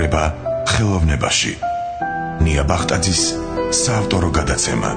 ცხოვრება ხელოვნებაში. ნია ბახტაძის საავტორო გადაცემა.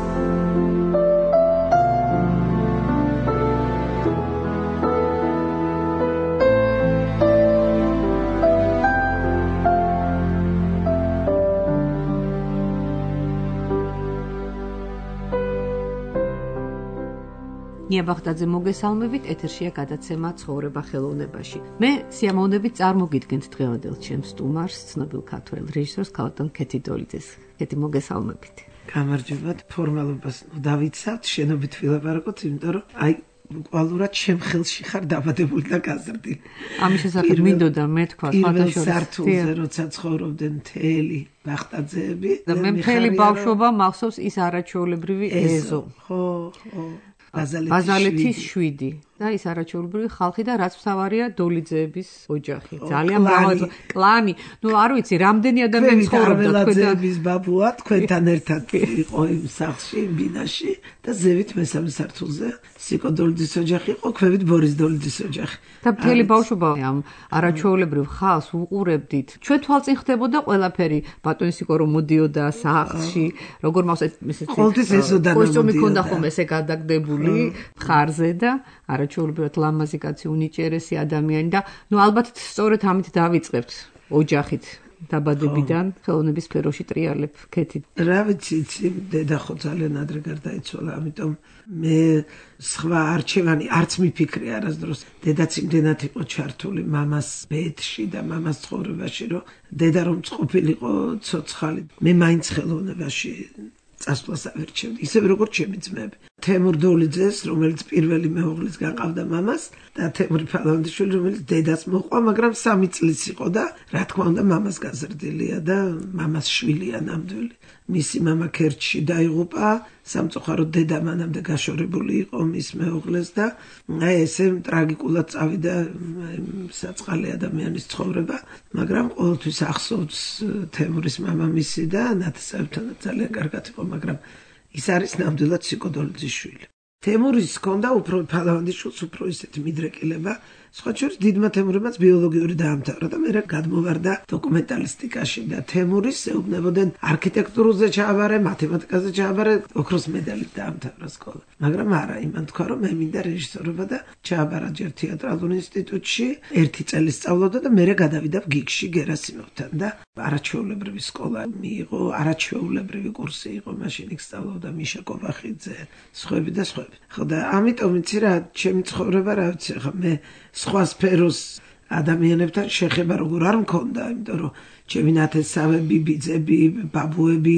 ნია ბახტაძე მოგესალმებით, ეთერშია გადაცემა ცხოვრება ხელოვნებაში. მე სიამოვნებით წარმოგიდგენთ დღევანდელ ჩემს სტუმარს, ცნობილ ქართველ რეჟისორს ქალბატონ კეთი დოლიძეს. კეთი, მოგესალმებით. გამარჯობათ, ფორმალობას დავიცავთ, შენობით ვილაპარაკოთ, იმიტომ რომ კვალურად ჩემ ხელში ხარ დაბადებული და გაზრდილი. ამის შესახებ მინდოდა მე თქვა, პირველ სართულზე როცა ცხოვრობდნენ მთელი ბახტაძეები და მე მთელი ბავშვობა მახსოვს ის არაჩვეულებრივი ეზო. ხო. ბაზალეთის 7 და ის არაჩვეულებრივი ხალხი და რაც მთავარია დოლიძეების ოჯახი. ძალიან მრავალი კლანი. ნუ არ ვიცი, რამდენი ადამიანი ცხოვრობდა თქვენთან ბაბუა, თქვენთან ერთად იყო იმ სახლში, ბინაში და ზევით მესამე სართულზე სიკო დოლიძის ოჯახი იყო, ქვევით ბორის დოლიძის ოჯახი. და მთელი ბავშვობა ამ არაჩვეულებრივ ხალხს უყურებდით. ჩვენ თვალწინ ხდებოდა ყველაფერი, ბატონი სიკო რომ მოდიოდა სახლში, როგორ მახსოვს ესეთი კოსტიუმი ქონდა ხოლმე ესე გადაგდებული ხარზე და არაჩვეულებრივად ლამაზი კაცი, უნიჭერესი ადამიანი და ნუ ალბათ სწორედ ამით დავიწყებთ ოჯახით დაბადებიდან ხელოვნების სფეროში ტრიალებ კეთი. რა ვიცი, დედა ხო ძალიან ადრე გარდაიცვალა, ამიტომ მე სხვა არჩევანი არც მიფიქრე არასდროს. დედაც იმდენად იყო ჩართული მამას ბედში და მამას ცხოვრებაში, რომ დედა რომ წყობილიყო ცოცხალი. მე მაინც ხელოვნებაში წასვლას ავირჩევდი, ისევ როგორც ჩემი ძმები. თემურ დოლიძეს, რომელიც პირველი მეუღლის გაყავდა მამას და თემური ფალავანდიშვილი, რომელიც დედას მოყვა, მაგრამ 3 წლის იყო და რა თქმა უნდა მამას გაზრდილია და მამას შვილია ნამდვილი. მისი მამა ქერჩში დაიღუპა, სამწუხაროდ დედა მანამდე გაშორებული იყო მის მეუღლეს და ესე ტრაგიკულად წავიდა საწყალი ადამიანის ცხოვრება, მაგრამ ყოველთვის ახსოვს თემურის მამამისი და ნათესავებთან ძალიან კარგად იყო, მაგრამ ის არის ნამდვილად სიკო დოლიძის შვილი. თემურის ჰქონდა უფრო ფალავანდიშვილს უფრო ისეთი მიდრეკილება, სხვა შორის დიდმა თემურებმაც ბიოლოგიური დაამთავრა და მერე გადმოვარდა დოკუმენტალისტიკაში და თემურის ეუბნებოდნენ არქიტექტურაზე ჩააბარე, მათემატიკაზე ჩააბარე, ოქროს მედალით დაამთავრა სკოლა. მაგრამ არა, იმან თქვა რომ მე მინდა რეჟისორობა და ჩააბარა ჯერ თეატრალურ ინსტიტუტში, 1 წელი სწავლობდა და მერე გადავიდა გიგში გერასიმოვთან და არაჩვეულებრივი სკოლა მიიღო, არაჩვეულებრივი კურსი იყო, მაშინ იქ სწავლობდა მიშა კობახიძე, სხვები და სხვები. ხო და ამიტომ იცი რა, ჩემი ცხოვრება რა ვიცი, ხა მე სხვა სფეროს ადამიანებთან შეხება როგორ არ მქონდა, იმიტომ რომ ჩემი ნათესავები, ბიძები, ბაბუები,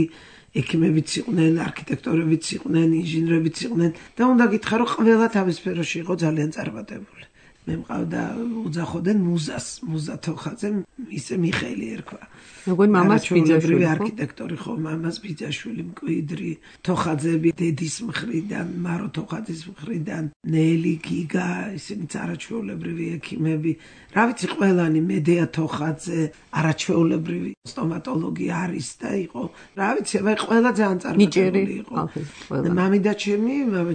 ექიმებიც იყვნენ, არქიტექტორებიც იყვნენ, ინჟინრებიც იყვნენ და უნდა გითხრა რომ ყველა თავის სფეროში იყო ძალიან წარმატებული. მე მყავდა უძახოდნენ მუზა თოხაძე, ისე მიხეილი ერქვა. როგორ მამას ბიძაშვილი არქიტექტორი ხო, მამას ბიძაშვილი მკვიდრი, თოხაძეები დედის მხრიდან, მარო თოხაძის მხრიდან, ნელი, გიგა, ისინიც არაჩვეულებრივი ექიმები. რა ვიცი, ყველანი მედეა თოხაძე, არაჩვეულებრივი სტომატოლოგი არის და იყო. რა ვიცი, ყველა ძალიან წარმატებული იყო. მამიდა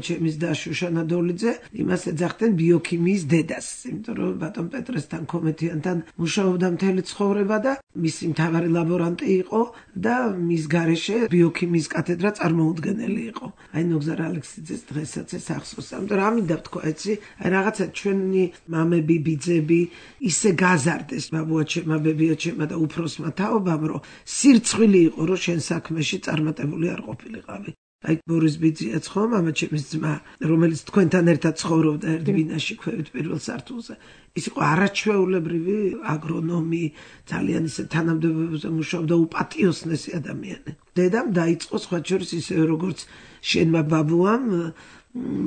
ჩემის და შუშანა დოლიძე იმას ეძახდნენ ბიოქიმიის დედას, იმიტომ რომ ბატონ პეტრესთან კომეთიანთან მუშაობდა მთელი ცხოვრება და მისი მთავარი ლაბორანტი იყო და მის გარეშე ბიოქიმიის კათედრა წარმოუდგენელი იყო. აი ნოგზარ ალექსიძეს დღესაც ეს ახსოვს. ამიტომ რა მინდა ვთქვა, იცი? აი რაღაცა ჩვენი მამები, ბიძები ისე გაზარდეს ბაბუაჩემა, ბებიაჩემა და უფროსმა თაობამ, რომ სირცხვილი იყო, რომ შენ საქმეში წარმატებული არ ყოფილიყავი. აი ბორის ბიძიაც ხო, მამაჩემის ძმა, რომელიც თქვენთან ერთად ცხოვრობდა ერთ ბინაში ქვევით პირველ სართულზე. ის იყო არაჩვეულებრივი აგრონომი, ძალიან ისე თანამდებობებზე მუშაობდა, უპატიოსნესი ადამიანი. დედამ დაიწყო სხვა შორის ისე როგორც შენმა ბაბუამ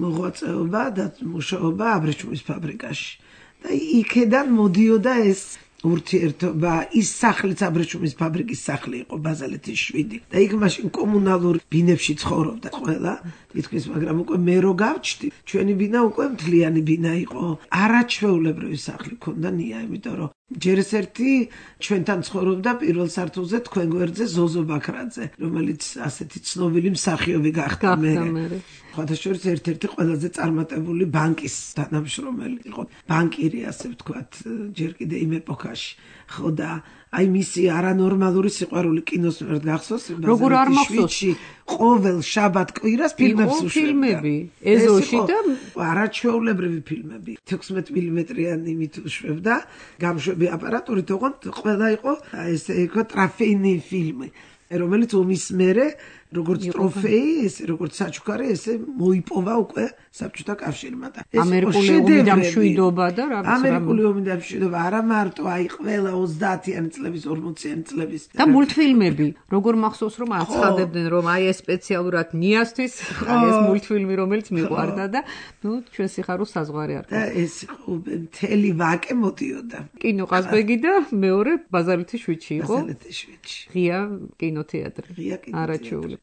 მოღვაწეობა და მუშაობა აბრეშუმის ფაბრიკაში. და იქედან მოდიოდა ეს ურთიერთობა, ის სახლიც აბრეშუმის ფაბრიკის სახლი იყო, ბაზალეთის 7 და იქ მაშინ კომუნალურ ბინებში ცხოვრობდა ყველა თითქმის, მაგრამ უკვე მე რო გავჩდი, ჩვენი ბინა უკვე მთლიანი ბინა იყო, არაჩვეულებრივი სახლი ქონდა ნია, იმიტომ რომ ჯერ ერთი ჩვენთან ცხოვრობდა პირველ სართულზე თქვენ გვერდზე ზოზო ბაქრაძე, რომელიც ასეთი ცნობილი მსახიობი გახდა მერე. ხათაშორის ერთ-ერთი ყველაზე წარმატებული ბანკის თანამშრომელი იყო, ბანკირი ასე ვთქვათ, ჯერ კიდე იმ ეპოქაში. ხო და აი მისი არანორმალური სიყვარული კინოს მიმართ გახსოვს? როგორ არ მახსოვს? ყოველ შაბათ კვირას ფილმებს უშვებდა. ფილმები, ეზოში და არაჩვეულებრივი ფილმები. 16 მმ-იანი მით უშვებდა, გამშვები აპარატურით, ოღონდ ყველა იყო ესე იყო ტრაფეინი ფილმი, რომელიც ომის მერე როგორც ტროფეი, ესე როგორც საჩუქარი, ესე მოიპოვა უკვე საბჭოთა კავშირმა და ეს ამერიკული ომი და მშვიდობა და ამერიკული ომი და მშვიდობა არა მარტო აი ყველა 30-იანი წლების 40-იანი წლების და მულტფილმები როგორ მახსოვს რომ აცხადებდნენ რომ აი ეს სპეციალურად ნიასთვის აი ეს მულტფილმი რომელიც მიყვარდა და ნუ ჩვენ სიხარულს საზღვარი არ და ეს მთელი ვაკე მოდიოდა კინო ყაზბეგი და მეორე ბაზალეთის შვიდში იყო ბაზალეთის შვიდში ღია კინოთეატრი არაჩეული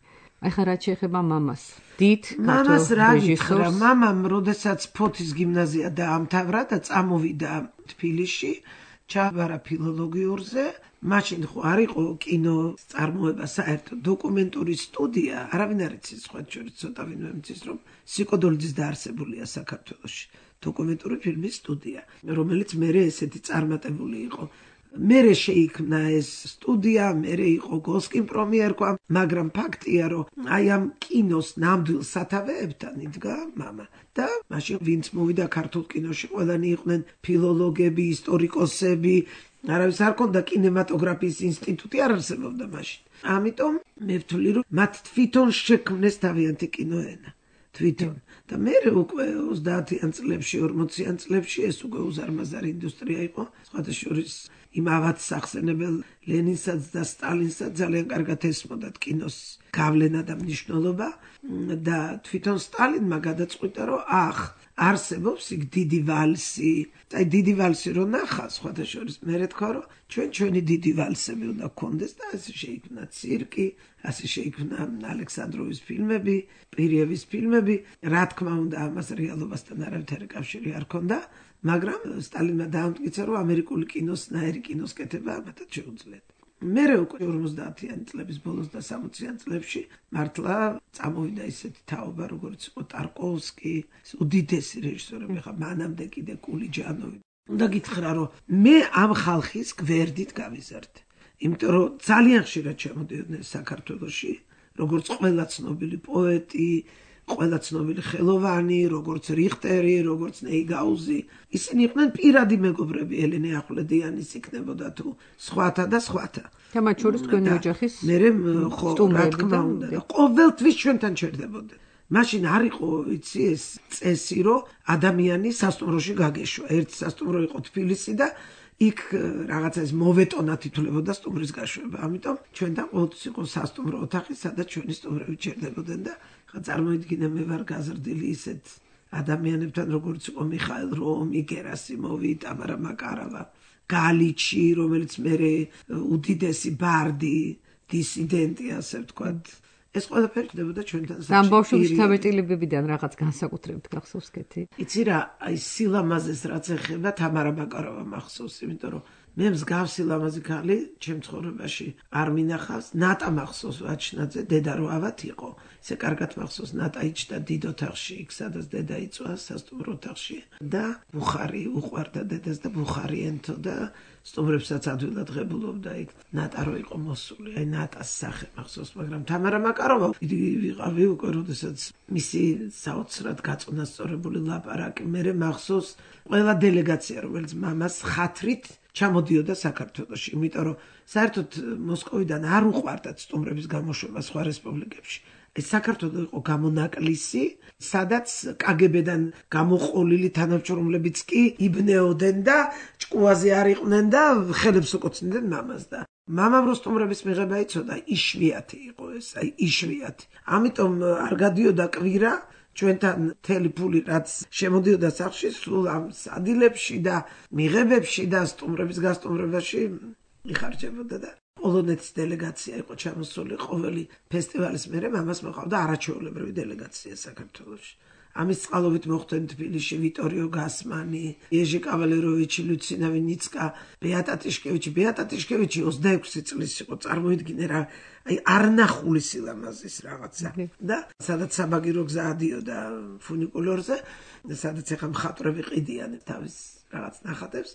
აი ხა რა შეეხება მამას დიდ მამას რა გითხრა მამამ როდესაც ფოთის გიმნაზია დაამთავრა და წამოვიდა თბილისში ჩააბარა ფილოლოგიურზე მაშინ ხო არ იყო კინო წარმოება საერთოდ დოკუმენტური სტუდია არავინ არ იცის სხვა შორის ცოტა ვინმე მიცის რომ სიკოდოლიძის დაარსებულია საქართველოში დოკუმენტური ფილმის სტუდია რომელიც მერე ესეთი წარმატებული იყო მერე შეიქმნა ეს სტუდია, მერე იყო გოსკინ პრომიერკვა, მაგრამ ფაქტია, რომ აი ამ კინოს ნამდვილ სათავეებთან იდგა მამა. და მაშინ ვინც მოვიდა ქართულ კინოში, ყველანი იყვნენ ფილოლოგები, ისტორიკოსები, არავის არ ქონდა კინემატოგრაფიის ინსტიტუტი არ არსებობდა მაშინ. ამიტომ მე ვთვლი, რომ მათ თვითონ შექმნეს თავიანთი კინოენა. თვითონ. და მე უკვე 30-იან წლებში, 40-იან წლებში ეს უკვე უზარმაზარი ინდუსტრია იყო, სხვათა შორის იმ ავადს ახსენებელ ლენინსაც და სტალინსაც ძალიან კარგად ესმოდათ კინოს გავლენა და მნიშვნელობა და თვითონ სტალინმა გადაწყვიტა რომ არსებობს იქ დიდი ვალსი. აი დიდი ვალსი რო ნახა სხვათა შორის მე თქვა რომ ჩვენი დიდი ვალსები უნდა გქონდეს და ასე შეიქმნა ცირკი, ასე შეიქმნა ალექსანდროვის ფილმები, პირიევის ფილმები, რა თქმა უნდა ამას რეალობასთან არავითარი კავშირი არ ჰქონდა. მაგრამ სტალინმა დაამტკიცა რომ ამერიკული კინოს ნაირი კინოს კეთება ამათაც შეუძლიათ. მერე უკვე 50-იანი წლების ბოლოს და 60-იან წლებში მართლა წამოვიდა ისეთი თაობა როგორც იყო ტარკოვსკი, უდიდესი რეჟისორები, ხა მანამდე კიდე კულიჯანოვი. უნდა გითხრა რომ მე ამ ხალხის გვერდით გავიზარდე. იმიტომ რომ ძალიან ხშირად ჩამოდიოდნენ საქართველოში, როგორც ყველა ცნობილი პოეტი, ყველა ცნობილი ხელოვანი, როგორც რიხტერი, როგორც ნეიგაუზი. ისინი იყვნენ პირადი მეგობრები ელენე ახვლედიანის იქნებოდა თუ სხვათა და სხვათა. და მათ შორის თქვენი ოჯახის მერე ხო რა თქმა უნდა ყოველთვის ჩვენთან ჩერდებოდნენ. მაშინ არ იყო იცი ეს წესი რომ ადამიანი სასტუმროში გაგეშვა. ერთი სასტუმრო იყო თბილისი და იქ რაღაცა ეს მოვეტონა თითოლებოდა სტუმრის გაშვება. ამიტომ ჩვენთან ყოველთვის იყო სასტუმრო ოთახი, სადაც ჩვენი სტუმრები ჩერდებოდნენ და წარმოიდგინე მე ვარ გაზრდილი ისეთ ადამიანებთან როგორც იყო მიხაილ რომი, გერასიმოვი, ტამარა მაკარავა, გალიჩი, რომელიც მერე უდიდესი ბარდი, დისიდენტი ასე ვთქვათ. ეს ყველაფერი ხდებოდა ჩვენთან საჭირო. ამ ბავშობის თავეტილებებიდან რაღაც განსაკუთრებით გახსოვს კეთი? იცი რა, აი სილამაზეს რაც ეხება თამარა მაკარავა მახსოვს, იმიტომ რომ მე მსგავსი ლამაზი ქალი ჩემ ცხოვრებაში არ მინახავს. ნატა მახსოვს ვაჩნაძე, დედა რო ავად იყო. ისე კარგად მახსოვს ნატა იჭდა დიდ ოთახში, იქ სადაც დედა იწვა სასტუმრო ოთახში და ბუხარი უყვარდა დედას და ბუხარი ენთო და სტუმრებსაც ადვილად ღებულობდა იქ. ნატა რო იყო მოსული, აი ნატას სახე მახსოვს, მაგრამ თამარა მაკაროვა ვიყავი უკვე, როდესაც მისი საოცრად გაწონასწორებული ლაპარაკი მერე მახსოვს ყველა დელეგაცია, რომელიც მამას ხათრით ჩამოდიოდა საქართველოში, იმიტომ რომ საერთოდ მოსკოვიდან არ უყვარდათ სტუმრების გამოშვება სხვა რესპუბლიკებში. ეს საქართველო იყო გამონაკლისი, სადაც კგბ-დან გამოყოლილი თანამშრომლებიც კი იბნეოდნენ და ჭკუაზე არ იყვნენ და ხელებს უკოცნდნენ მამას და მამამ რო სტუმრების მიღება იცოდა, იშვიათი იყო ეს, აი იშვიათი. ამიტომ არ გადიოდა კვირა ჩვენთან მთელი ფული რაც შემოდიოდა სახლში სულ ამ სადილებში და მიღებებში და სტუმრების გასტუმრებაში იხარჯებოდა და პოლონეთის დელეგაცია იყო ჩამოსული ყოველი ფესტივალის მერე მამას მოყავდა არაჩვეულებრივი დელეგაცია საქართველოში. ამის წყალობით მოხვდნენ თბილისში ვიტორიო გასმანი, იეჟი კავალეროვიჩი, ლუცინა ვინიცკა, ბეატა ტიშკევიჩი. ბეატა ტიშკევიჩი 26 წლის იყო, წარმოიდგინე რა, აი არნახული სილამაზის რაღაცა. და სადაც საბაგირო გზა ადიოდა ფუნიკულორზე, სადაც ახლა მხატვრები ყიდიან თავის რაღაც ნახატებს,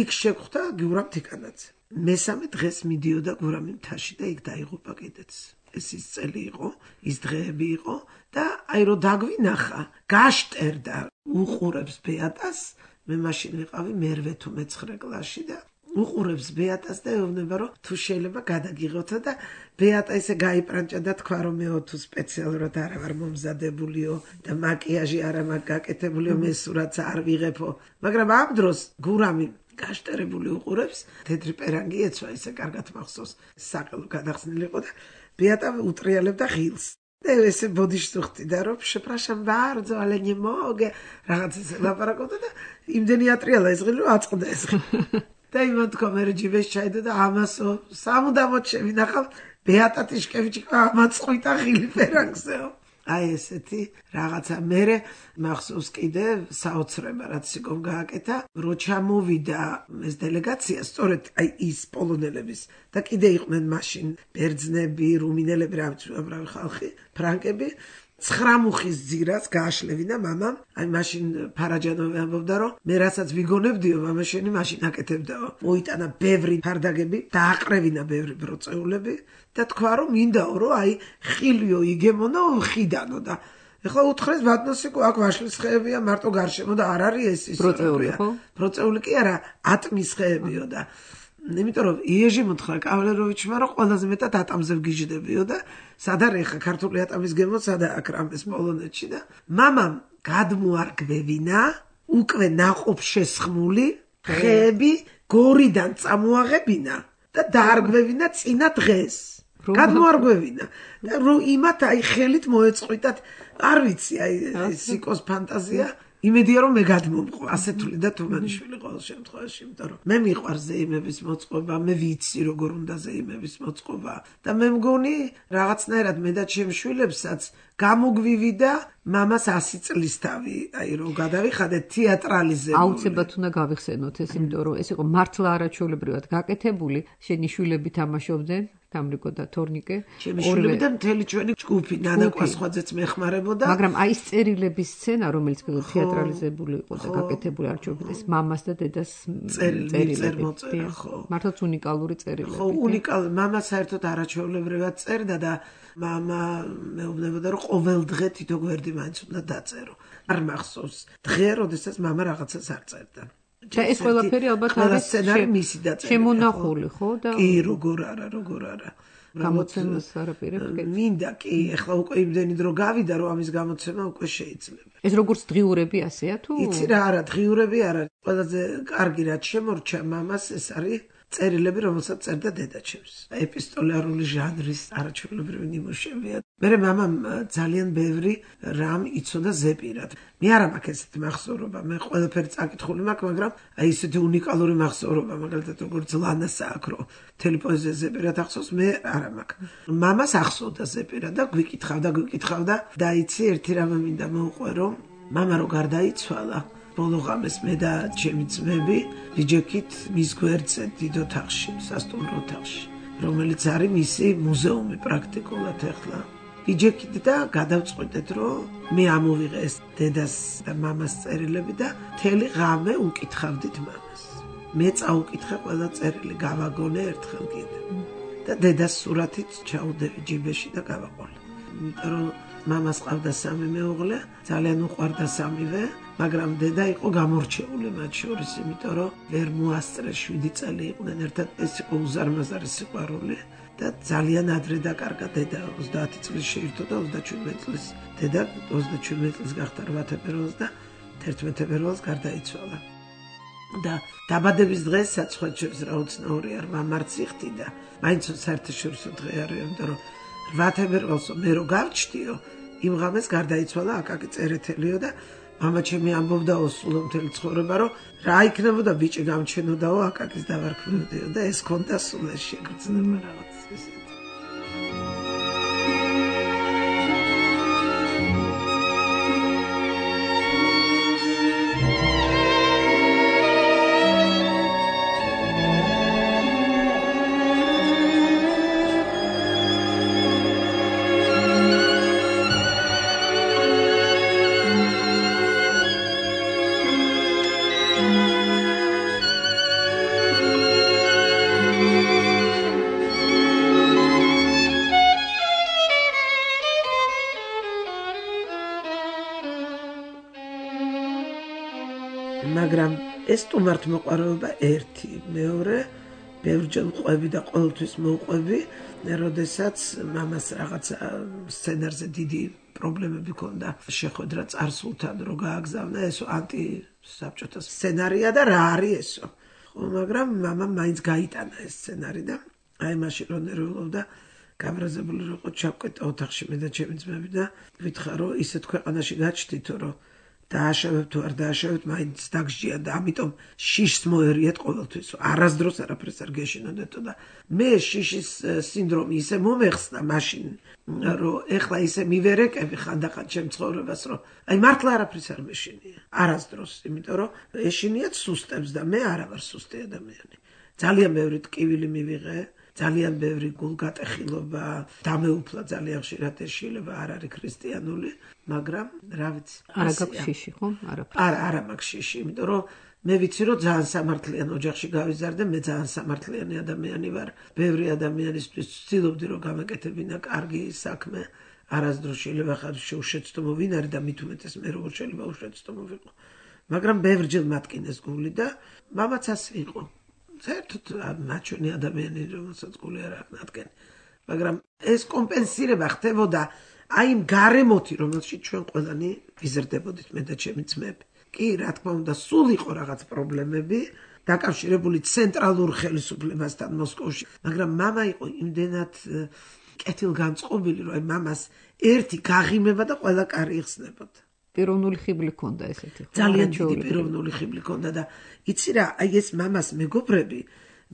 იქ შეხვდა გიურამ თიკანაძე. მესამე დღეს მიდიოდა გურამი მთაში და იქ დაიღუპა კიდეც. ეს ის წელი იყო, ის დღეები იყო და აი რო დაგვინახა, გაშტერდა, უყურებს ბეატას, მე მაშინ ვიყავი მერვე თუ მე-9 კლასში და უყურებს ბეატას და ეუბნება რომ თუ შეიძლება გადაგიღოთო და ბეატა ისე გაიპრანჭა და თქვა რომ მეო თუ სპეციალურად არ ვარ მომზადებულიო და მაკიაჟი არა მაქვს გაკეთებულიო მე სურათს არ ვიღებო მაგრამ ამ დროს გურამი გაშტერებული უყურებს თეთრი პერანგი ეცვა ისე კარგად მახსოვს საყელო გადახსნილი იყო და ბეატა უტრიალებდა ღილს და ესე ბოდიშს უხდიდა რომ შეპრაშამ ბარძო ale nie mogę რაღაც ესე ლაპარაკობდა და იმდენი ატრიალა ეს ღილი რომ აწყდა ეს და იმან თქვა მე ჯიბეს ჩაიდო და ამასო სამუდამოდ შევინახავ ბეატა ტიშკევიჩი ამაწყვიტა ღილი პერანგზეო აი ესეთი რაღაცა მე მახსოვს კიდე საოცრება რაც სიკომ გააკეთა რო ჩამოვიდა ეს დელეგაცია სწორედ აი ის პოლონელების და კიდე იყვნენ მაშინ ბერძნები რუმინელები რა ხალხი ფრანკები 9 მუხის ძირას გააშლევინა მამამ აი მაშინ ფარაჯანოვი ამბობდა რომ მე რასაც ვიგონებდიო მამა შენი მაშინ აკეთებდაო მოიტანა ბევრი ფარდაგები დააყრევინა ბევრი ბროწეულები და თქვა რომ მინდაო რომ აი ხილიო იგემონო ხიდანო და ეხლა უთხრეს ბატონსიკო აქ ვაშლის ხეებია მარტო გარშემო და არ არის ეს ის ბროწეული ხო ბროწეული კი არა ატმის ხეებიო და იმიტომ რომ იეჟი მოთხრა კავალეროვიჩმა რომ ყველაზე მეტად ატამზე ვგიჟდებიო და სად არის ხა ქართული ატამის გემო სადა აქ რამეს პოლონეთში და მამამ გადმოარგვევინა უკვე ნაყოფ შესხმული ხეები გორიდან წამოაღებინა და დაარგვევინა წინა დღეს გადმოარგვევინა და რომ იმათ აი ხელით მოეწყვიტათ არ ვიცი აი სიკოს ფანტაზია იმედია რომ მე გადმომყვა ასეთული და თუმანიშვილი ყოველ შემთხვევაში იმიტომ რომ მე მიყვარს ზეიმების მოწყობა მე ვიცი როგორ უნდა ზეიმების მოწყობა და მე მგონი რაღაცნაირად მე და ჩემ შვილებსაც გამოგვივიდა მამას 100 წლის თავი აი რომ გადავიხადეთ თეატრალიზებული აუცილებლად უნდა გავიხსენოთ ეს იმიტომ რომ ეს იყო მართლა არაჩვეულებრივად გაკეთებული შენი შვილები თამაშობდნენ დამრიგო და თორნიკე ორივე და მთელი ჩვენი ჯგუფი ნანა კვასხვაძეც მეხმარებოდა მაგრამ აი ეს წერილების სცენა რომელიც თეატრალიზებული იყო და გაკეთებული არჩეულობით ეს მამას და დედას წერილები ხო მართლაც უნიკალური წერილები ხო უნიკალური მამა საერთოდ არაჩვეულებრივად წერდა და მამა მეუბნებოდა რომ ყოველ დღე თითო გვერდი მაინც უნდა დაწერო არ მახსოვს დღე როდესაც მამა რაღაცას არ წერდა და ეს ყველაფერი ალბათ არის შემონახული ხო და კი როგორ არა გამოცემას არაპირებ მინდა კი ეხლა უკვე იმდენი დრო გავიდა რომ ამის გამოცემა უკვე შეიძლება ეს როგორც დღიურები ასეა თუ იცი რა არა დღიურები არა ყველაზე კარგი რაც შემორჩა მამას ეს არის წერილები რომელსაც წერდა დედაჩემს ეპისტოლარული ჟანრის არაჩვეულებრივი ნიმუშებია მე მამამ ძალიან ბევრი რამ იცოდა ზეპირად მე არ მაქვს ესეთი მახსოვრობა მე ყველაფერი წაკითხული მაქვს მაგრამ აი ესეთი უნიკალური მახსოვრობა მაგალითად როგორც ლანასა აქვს რომ მთელი პოეზია ზეპირად ახსოვს მე არ მაქვს მამას ახსოვდა ზეპირად და გვიკითხავდა და იცი ერთი რამ მინდა მოუყვერო მამა რო გარდაიცვალა ბოლო ღამეს მე და ჩემი ძმები ვიჯექით მის გვერდზე დიდ ოთახში, სასტუმრო ოთახში, რომელიც არის მისი მუზეუმი პრაქტიკულად ახლა. ვიჯექით და გადავწყვიტეთ, რომ მე ამოვიღე ეს დედას და მამას წერილები და მთელი ღამე უკითხავდით მამას. მე წაუკითხე ყველა წერილი, გავაგონე ერთხელ კიდე. და დედას სურათით ჩაუდევი ჯიბეში და გავაყოლე. იმიტომ რომ მამას ყავდა 3 მეუღლე, ძალიან უყვარდა 3-ვე, მაგრამ დედა იყო გამორჩეული მათ შორის, იმიტომ რომ ვერ მოასწრეს 7 წელი იყვნენ ერთად, ეს იყო უზარმაზარი სიყვარული და ძალიან ადრე დაკარგა დედა 30 წლის შეირთო და 37 წლის დედა 37 წლის გახდა 8 თებერვალს და 11 თებერვალს გარდაიცვალა. და დაბადების დღეს საცხოჩებს რა უცნაური არ მამარც იხდიდა. მაინც საერთაშორისო დღე არის, იმიტომ რომ 8 თებერვალს მე რო გავჩდიო, იმ ღამეს გარდაიცვალა აკაკი წერეთელიო და მამა ჩემი ამბობდაო სულ მთელი ცხოვრება რომ რა იქნებოდა ბიჭი გამჩენოდაო აკაკის დავარქმევდიო და ეს კონდა სულ ეს შეგრძნება რაღაც ესეთი ეს სტუმართმოყვარეობა ერთი, მეორე ბევრჯერ ყვები და ყოველთვის მოყვები, როდესაც მამას რაღაცა სცენარზე დიდი პრობლემები ჰქონდა შეხვედრა წარსულთან რო გააგზავნა, ესო ანტისაბჭოთა სცენარია და რა არის ესო. ხო, მაგრამ მამამ მაინც გაიტანა ეს სცენარი და აი მაშინ რო ნერვიულობდა გაბრაზებული რო ყო ჩავკეტა ოთახში მე და ჩემი ძმები და ვითხარ რომ ისეთ ქვეყანაში გაჩდითო რომ დააშავებ თუ არ დააშავებ მაინც დაგსჯიან და ამიტომ შიშს მოერიეთ ყოველთვის არასდროს არაფერს არ გეშინოდეთო და მე შიშის სინდრომი ისე მომეხსნა მაშინ რომ ეხლა ისე მივერეკები ხანდახან ჩემ ცხოვრებას რომ აი მართლა არაფერს არ მეშინია არასდროს იმიტომ რომ ეშინიათ სუსტებს და მე არა ვარ სუსტი ადამიანი ძალიან ბევრი ტკივილი მივიღე ძალიან ბევრი გულგატეხილობა დამეუფლა ძალიან ხშირად ეშილება არ არის ქრისტიანული მაგრამ რა ვიცი არა გაქვს შიში ხო არა მაქვს შიში იმიტომ რომ მე ვიცი რომ ძალიან სამართლიან ოჯახში გავიზარდე მე ძალიან სამართლიანი ადამიანი ვარ ბევრი ადამიანისთვის ვცდილობდი რომ გამეკეთებინა კარგი საქმე არასდროს შეიძლება ხარ შეუშეცდომო ვინ არის და მით უმეტეს მე როგორ შეიძლება უშეცდომო ვიყო მაგრამ ბევრჯერ მატკინეს გული და მამაც ასე იყო საერთოდ მაჩვენე ადამიანი რომელსაც გული არ აკნადგენ მაგრამ ეს კომპენსირება ხდებოდა აი იმ გარემოთი რომელშიც ჩვენ ყველანი ვიზრდებოდით მე და ჩემი ძმები კი რა თქმა უნდა სულ იყო რაღაც პრობლემები დაკავშირებული ცენტრალურ ხელისუფლებასთან მოსკოვში მაგრამ მამა იყო იმდენად კეთილგანწყობილი რომ აი მამას ერთი გაღიმება და ყველა კარი იხსნებოდა პიროვნული ხიბლი ჰქონდა ესეთი ხო ძალიან დიდი პიროვნული ხიბლი ჰქონდა და იცი რა აი ეს მამას მეგობრები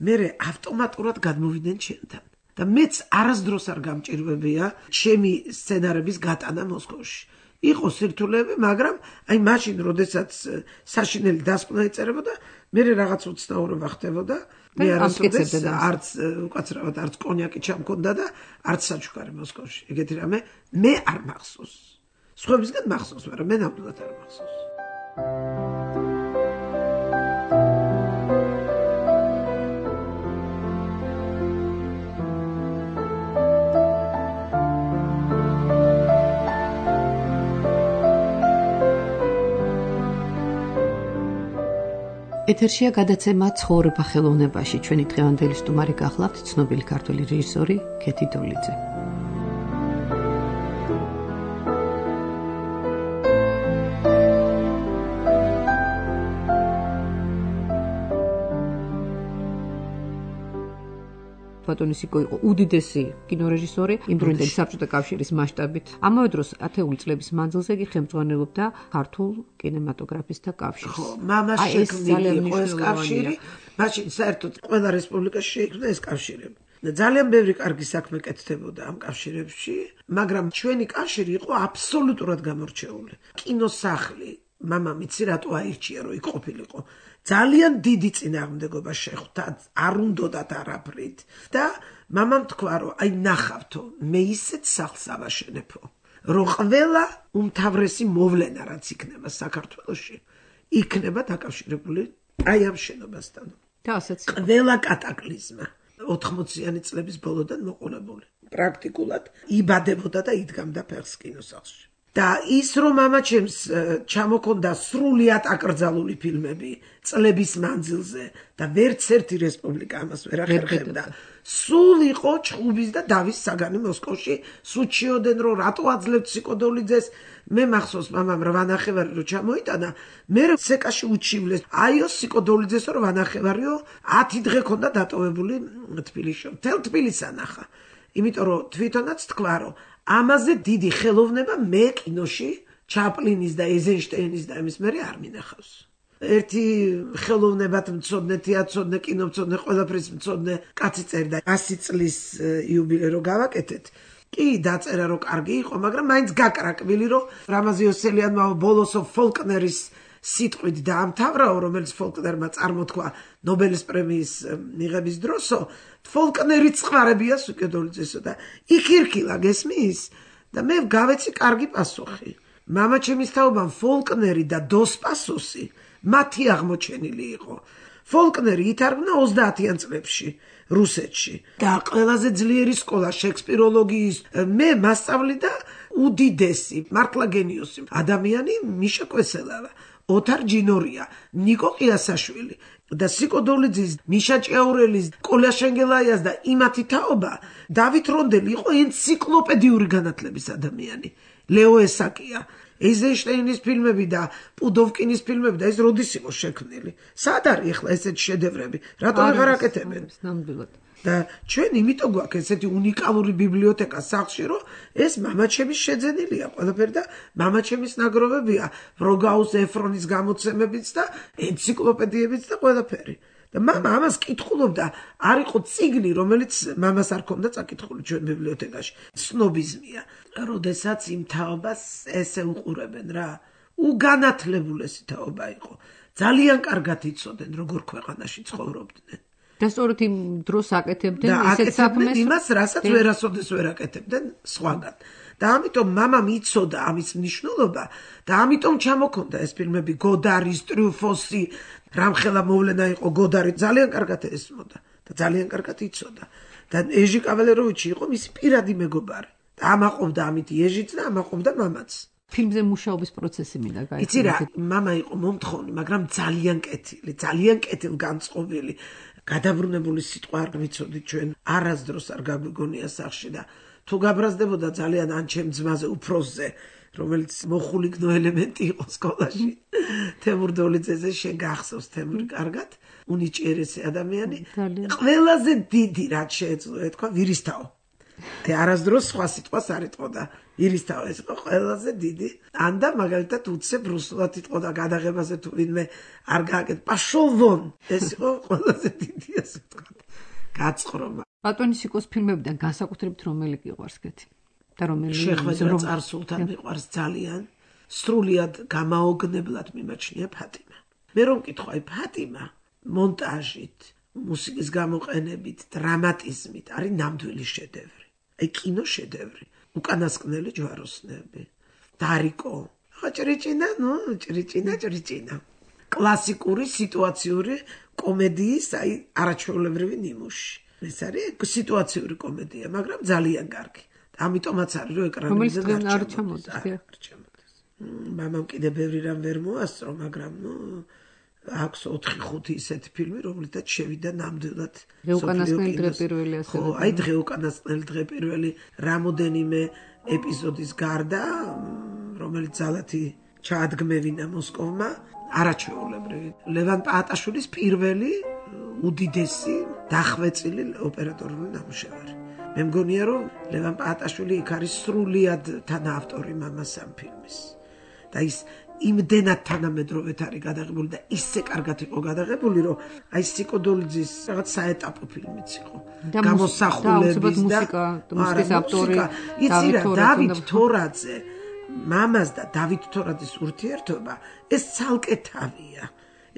მე ავტომატურად გადმოვიდნენ ჩემთან და მეც არასდროს არ გამჭირვებია ჩემი სცენარების გატანა მოსკოვში იყო სირთულეები მაგრამ აი მაშინ როდესაც საშინელი დასკვნა იწერებოდა მე რაღაც უცნაურობა ხდებოდა მე არასოდეს არც უკაცრავად არც კონიაკი ჩამქონდა და არც საჩუქარი მოსკოვში ეგეთი რამე მე არ მახსოვს სხვებისგან მახსოვს, მაგრამ მე ნამდვილად არ მახსოვს. ეთერშია გადაცემა ცხოვრება ხელოვნებაში. ჩვენი დღევანდელი სტუმარი გახლავთ ცნობილი ქართველი რეჟისორი ქეთი დოლიძე. ბატონისიკო იყო უდიდესი კინორეჟისორი იმ დროინდელი საბჭოთა კავშირის მასშტაბით. ამავე დროს 10 წლების მანძილზე კი ხელმძღვანელობდა ქართულ კინემატოგრაფისტთა კავშირს. ხო, მამას შექმნილი იყო ეს კავშირი, მაშინ საერთოდ ყველა რესპუბლიკაში შეიქმნა ეს კავშირები. ძალიან ბევრი კარგი საქმე კეთდებოდა ამ კავშირებში, მაგრამ ჩვენი კავშირი იყო აბსოლუტურად გამორჩეული. კინოსახლი მამამ იცი რატო აირჩია რომ იქ ყოფილიყო ძალიან დიდი წინააღმდეგობა შეხვდა არ უნდათ არაფრით და მამამ თქვა რომ აი ნახავთო მე ისეთ სახლს ავაშენებო რომ ყველა უმთავრესი მოვლენა რაც იქნება საქართველოში იქნება დაკავშირებული აი ამ შენობასთან და ასეც ყველა კატაკლიზმა 80-იანი წლების ბოლოდან მოყოლებული პრაქტიკულად იბადებოდა და იდგამდა ფეხს კინოსახლში და ის რომ მამა ჩემს ჩამოქონდა სრულიად აკრძალული ფილმები წლების მანძილზე და ვერც ერთი რესპუბლიკა ამას ვერ ახერხებდა სულ იყო ჩხუბის და დავის საგანი მოსკოვში სუჩიოდენ რომ რატო აძლევთ სიკოდოლიძეს მე მახსოვს მამამ რა ვანახევარი რომ ჩამოიტანა მე სეკაში უჩივლეს აიო სიკოდოლიძეს რომ ვანახევარიო 10 დღე ქონდა დატოვებული თბილისში თელ თბილისს ანახა იმიტომ რომ თვითონაც თქვა რომ ამაზე დიდი ხელოვნება მე კინოში ჩაპლინის და ეიზენშტეინის და ამის მერე არ მინახავს. ერთი ხელოვნებად მცოდნე, თეატრმცოდნე, კინომცოდნე, ყველაფრის მცოდნე კაცი წერდა 100 წლის იუბილე რო გავაკეთეთ. კი დაწერა რომ კარგი იყო, მაგრამ მაინც გაკრაკბილი რომ რამაზი ოსელიანმა ბოლოსო ფოლკნერის სიტყვით დაამთავრაო, რომელიც ფოლკნერმა წარმოთქვა ნობელის პრემიის მიღების დროსო, ფოლკნერი წყარებია სუკედოლიძესო და იქირქილა გესმის და მე გავეცი კარგი პასუხი. მამა ჩემის თაობამ ფოლკნერი და დოს პასოსი მათი აღმოჩენილი იყო. ფოლკნერი ითარგმნა 30-იან წლებში რუსეთში და ყველაზე ძლიერი სკოლა შექსპიროლოგიის მე მასწავლი და უდიდესი მართლა გენიოსი ადამიანი მიშა კვესელავა ოთარ ჯინორია, ნიკო ყიასაშვილი და სიკო დოლიძის, მიშა ჭიაურელის, კოლა შენგელაიას და იმათი თაობა დავით რონდელი იყო ენციკლოპედიური განათლების ადამიანი. ლეო ესაკია, ეიზენშტეინის ფილმები და პუდოვკინის ფილმები და ეს როდის იყო შექმნილი? სად არის ახლა ესეთი შედევრები? რატომ აღარ აკეთებენ? ნამდვილად. და ჩვენ იმიტომ გვაქვს ესეთი უნიკალური ბიბლიოთეკა სახლში, რომ ეს მამაჩემის შეძენილია ყველაფერი და მამაჩემის ნაგროვებია ბროგაუს ეფრონის გამოცემებიც და ენციკლოპედიებიც და ყველაფერი. და მამა ამას კითხულობდა, არ იყო წიგნი, რომელიც მამას არ ქონდა წაკითხული ჩვენ ბიბლიოთეკაში. სნობიზმია. როდესაც იმ თაობას ესე უყურებენ რა, უგანათლებულესი თაობა იყო. ძალიან კარგად იცოდნენ, როგორ ქვეყანაში ცხოვრობდნენ. და სწორედ იმ დროს აკეთებდნენ ისეთ საქმეს, იმას, რასაც ვერასოდეს ვერ აკეთებდნენ სხვაგან. და ამიტომ მამამ იცოდა ამის მნიშვნელობა და ამიტომ ჩამოქონდა ეს ფილმები გოდარის, ტრიუფოსი, რამხელა მოვლენა იყო გოდარი, ძალიან კარგად ესმოდა და ძალიან კარგად იცოდა. და ეჟი კავალეროვიჩი იყო მისი პირადი მეგობარი. და ამაყობდა ამით ეჟიც და ამაყობდა მამაც. ფილმზე მუშაობის პროცესი მინდა გაიგო. იცი რა, მამა იყო მომთხოვნი, მაგრამ ძალიან კეთილი, ძალიან კეთილგანწყობილი. გადაბრუნებული სიტყვა არ ვიცოდი ჩვენ, არასდროს არ გაგვიგონია სახში და თუ გაბრაზდებოდა ძალიან ან ჩემ ძმაზე უფროსზე, რომელიც მოხულიგნო ელემენტი იყო სკოლაში. თემურ დოლიძეზე შენ გახსოვს თემური კარგად, უნიჭიერესი ადამიანი, ყველაზე დიდი რაც შეეძლო ეთქვა ვირისთაო. და არასდროს სხვა სიტყვას არ იტყოდა. ვირისთაო ეს იყო ყველაზე დიდი. ანდა მაგალითად უცებ რუსულად იტყოდა გადაღებაზე თუ ვინმე არ გააკეთე. პაშოვონ ეს იყო ყველაზე დიდი ასე ვთქვა. გაცხრომა. ბატონი სიკოს ფილმებიდან განსაკუთრებით რომელი გიყვარს კეთი? და რომელი შეხვედრა წარსულთან მიყვარს ძალიან. სრულიად გამაოგნებლად მიმაჩნია ფატიმა. მე რომ მკითხავ ფატიმა მონტაჟით, მუსიკის გამოყენებით, დრამატიზმით არის ნამდვილი შედევრი. აი კინო შედევრი. უკანასკნელი ჯვაროსნები. დარიკო. ხო ჭრიჭინა. კლასიკური სიტუაციური კომედიის, აი არაჩვეულებრივი ნიმუში. ეს არის სიტუაციური კომედია, მაგრამ ძალიან კარგი. ამიტომაც არის რომ ეკრანებზე არ ჩამოდის. მამამ კიდე ბევრი რამ ვერ მოასწრო, მაგრამ აქვს 4-5 ისეთი ფილმი, რომლითაც შევიდა ნამდვილად უკანასკნელი დღე პირველი ასე. ხო, აი უკანასკნელი დღე პირველი რამოდენიმე ეპიზოდის გარდა, რომელიც ძალათი ჩაადგმევინა მოსკოვმა, არაჩვეულებრივი. ლევან პაატაშვილის პირველი უდიდესი დახვეწილი ოპერატორული ნამუშევარი. მე მგონია რომ ლევან პაატაშვილი იქ არის სრულიად თანაავტორი მამას ამ ფილმის. და ის იმდენად თანამედროვედ არის გადაღებული და ისე კარგად იყო გადაღებული, რომ აი სიკო დოლიძის რაღაც საეტაპო ფილმიც იყო. გამოსახულების და მუსიკის ავტორი დავით თორაძე, მამას და დავით თორაძის ურთიერთობა ეს ცალკე თავია.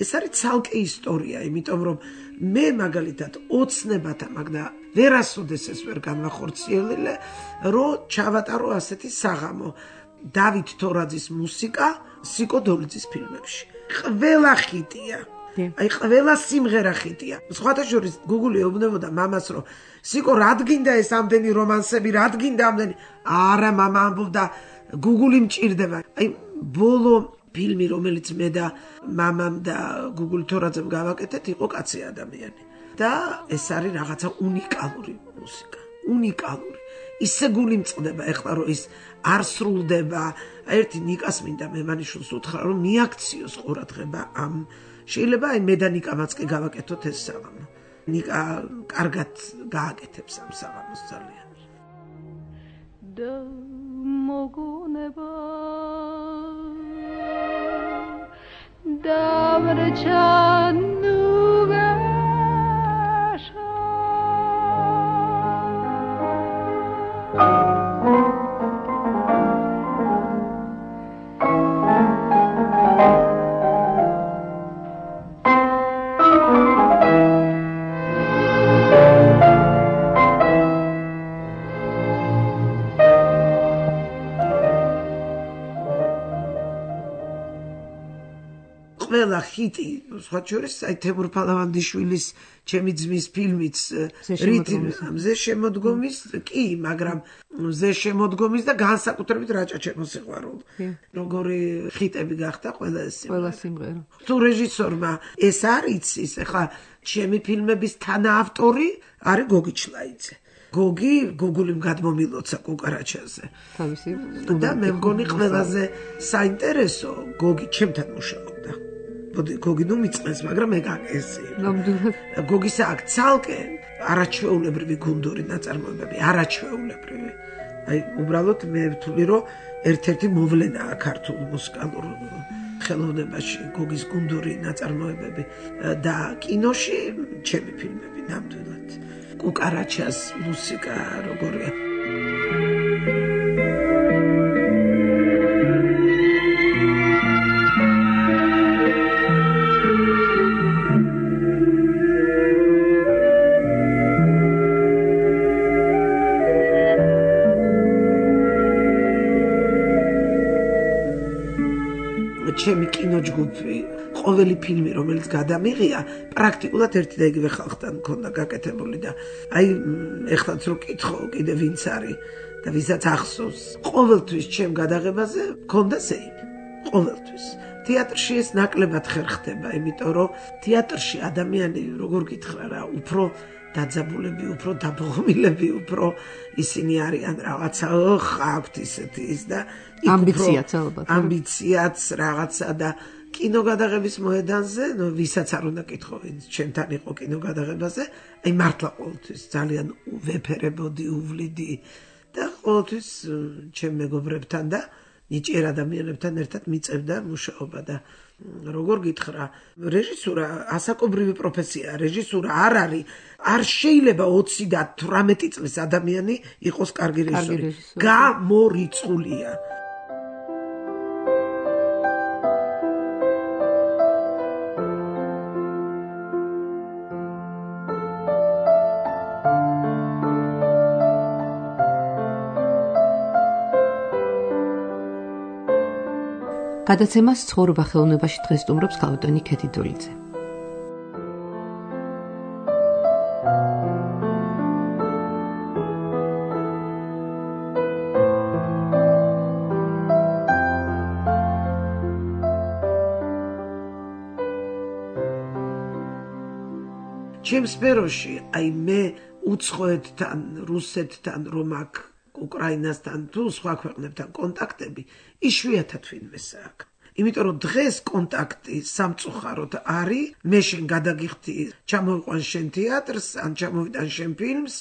ეს არის ცალკე ისტორია, იმიტომ რომ მე მაგალითად ოცნებათა მაგდა ვერასოდეს ეს ვერ განვახორციელე, რომ ჩავატარო ასეთი საღამო დავით თორაძის მუსიკა სიკო დოლიძის ფილმებში. ყველა ხიტია. აი ყველა სიმღერა ხიტია. სხვათა შორის გუგული ეუბნებოდა მამას, რომ სიკო რადგინდა ეს ამდენი რომანსები, რადგინდა ამდენი. არა, მამა ამბობდა, გუგული მჭირდება. აი ბოლო ფილმი, რომელიც მე და მამამ და გუგული თორაძემ გავაკეთეთ, იყო კაცი ადამიანი. და ეს არის რაღაცა უნიკალური მუსიკა. უნიკალური. ისე გული მწყდება ეხლა, რომ ის არ სრულდება. ერთი ნიკას მინდა მემანიშვილს უთხრა, რომ მიაქციოს ყურადღება ამ. შეიძლება აი მე და ნიკამაც კი გავაკეთოთ ეს საღამო. ნიკა კარგად გააკეთებს ამ საღამოს ძალიან. და მოგონება დავრჩანუგაშა ყველა ხიტი, სხვა შორის, აი თემურ ფალავანდიშვილის ჩემი ძმის ფილმიც მზე შემოდგომის, კი, მაგრამ მზე შემოდგომის და განსაკუთრებით რაჭა-ჩემო სიყვარული. როგორი ხიტები გახდა ყველა სიმღერა. თუ რეჟისორმა ეს არ იცის, ეხლა ჩემი ფილმების თანაავტორი არის გოგი ჩლაიძე. გოგული გადმომილოცა კუკარაჩაზე. თავისი და მე მგონი ყველაზე საინტერესო გოგი ჩემთან მუშაობდა. გოგი ნუ მიწყეს, მაგრამ მე გაგესი. გოგისა აქ ცალკე არაჩვეულებრივი გუნდური ნაწარმოებები, არაჩვეულებრივი. აი უბრალოდ მე ვთვლი, რომ ერთ-ერთი მოვლენაა ქართულ მუსიკალურ ხელოვნებაში გოგის გუნდური ნაწარმოებები და კინოში ჩემი ფილმები ნამდვილად. კუკარაჩას მუსიკა როგორია. ჩემი კინოჯგუფი ყოველი ფილმი რომელიც გადამიღია პრაქტიკულად ერთი და იგივე ხალხთან მქონდა გაკეთებული და აი ეხლაც რო კითხო კიდე ვინც არის და ვისაც ახსოვს ყოველთვის ჩემ გადაღებაზე მქონდა სეიმი ყოველთვის თეატრში ეს ნაკლებად ხერხდება იმიტომ რომ თეატრში ადამიანი როგორ გითხრა რა უფრო დაძაბულები უფრო დაბოღმილები უფრო ისინი არიან რაღაცა აქვთ ისეთი ის და ამბიციაც ალბათ ამბიციაც რაღაცა და კინოგადაღების მოედანზე ვისაც არ უნდა კითხო ვინც ჩემთან იყო კინოგადაღებაზე აი მართლა ყოველთვის ძალიან ვეფერებოდი უვლიდი და ყოველთვის ჩემ მეგობრებთან და ნიჭიერ ადამიანებთან ერთად მიწევდა მუშაობა და როგორ გითხრა რეჟისურა ასაკობრივი პროფესია რეჟისურა არ არის არ შეიძლება 20 და 18 წლის ადამიანი იყოს კარგი რეჟისორი გამორიცხულია გადაცემას ცხოვრება ხელოვნებაში დღეს სტუმრობს ქალბატონი ქეთი დოლიძე. ჩემ სფეროში აი მე უცხოეთთან, რუსეთთან რომ აქ უკრაინასთან თუ სხვა ქვეყნებთან კონტაქტები იშვიათად ვინმეს აქვს. იმიტომ რომ დღეს კონტაქტი სამწუხაროდ არის, მე შენ გადაგიხდი, ჩამოვიყვან შენ თეატრს, ან ჩამოვიტან შენ ფილმს,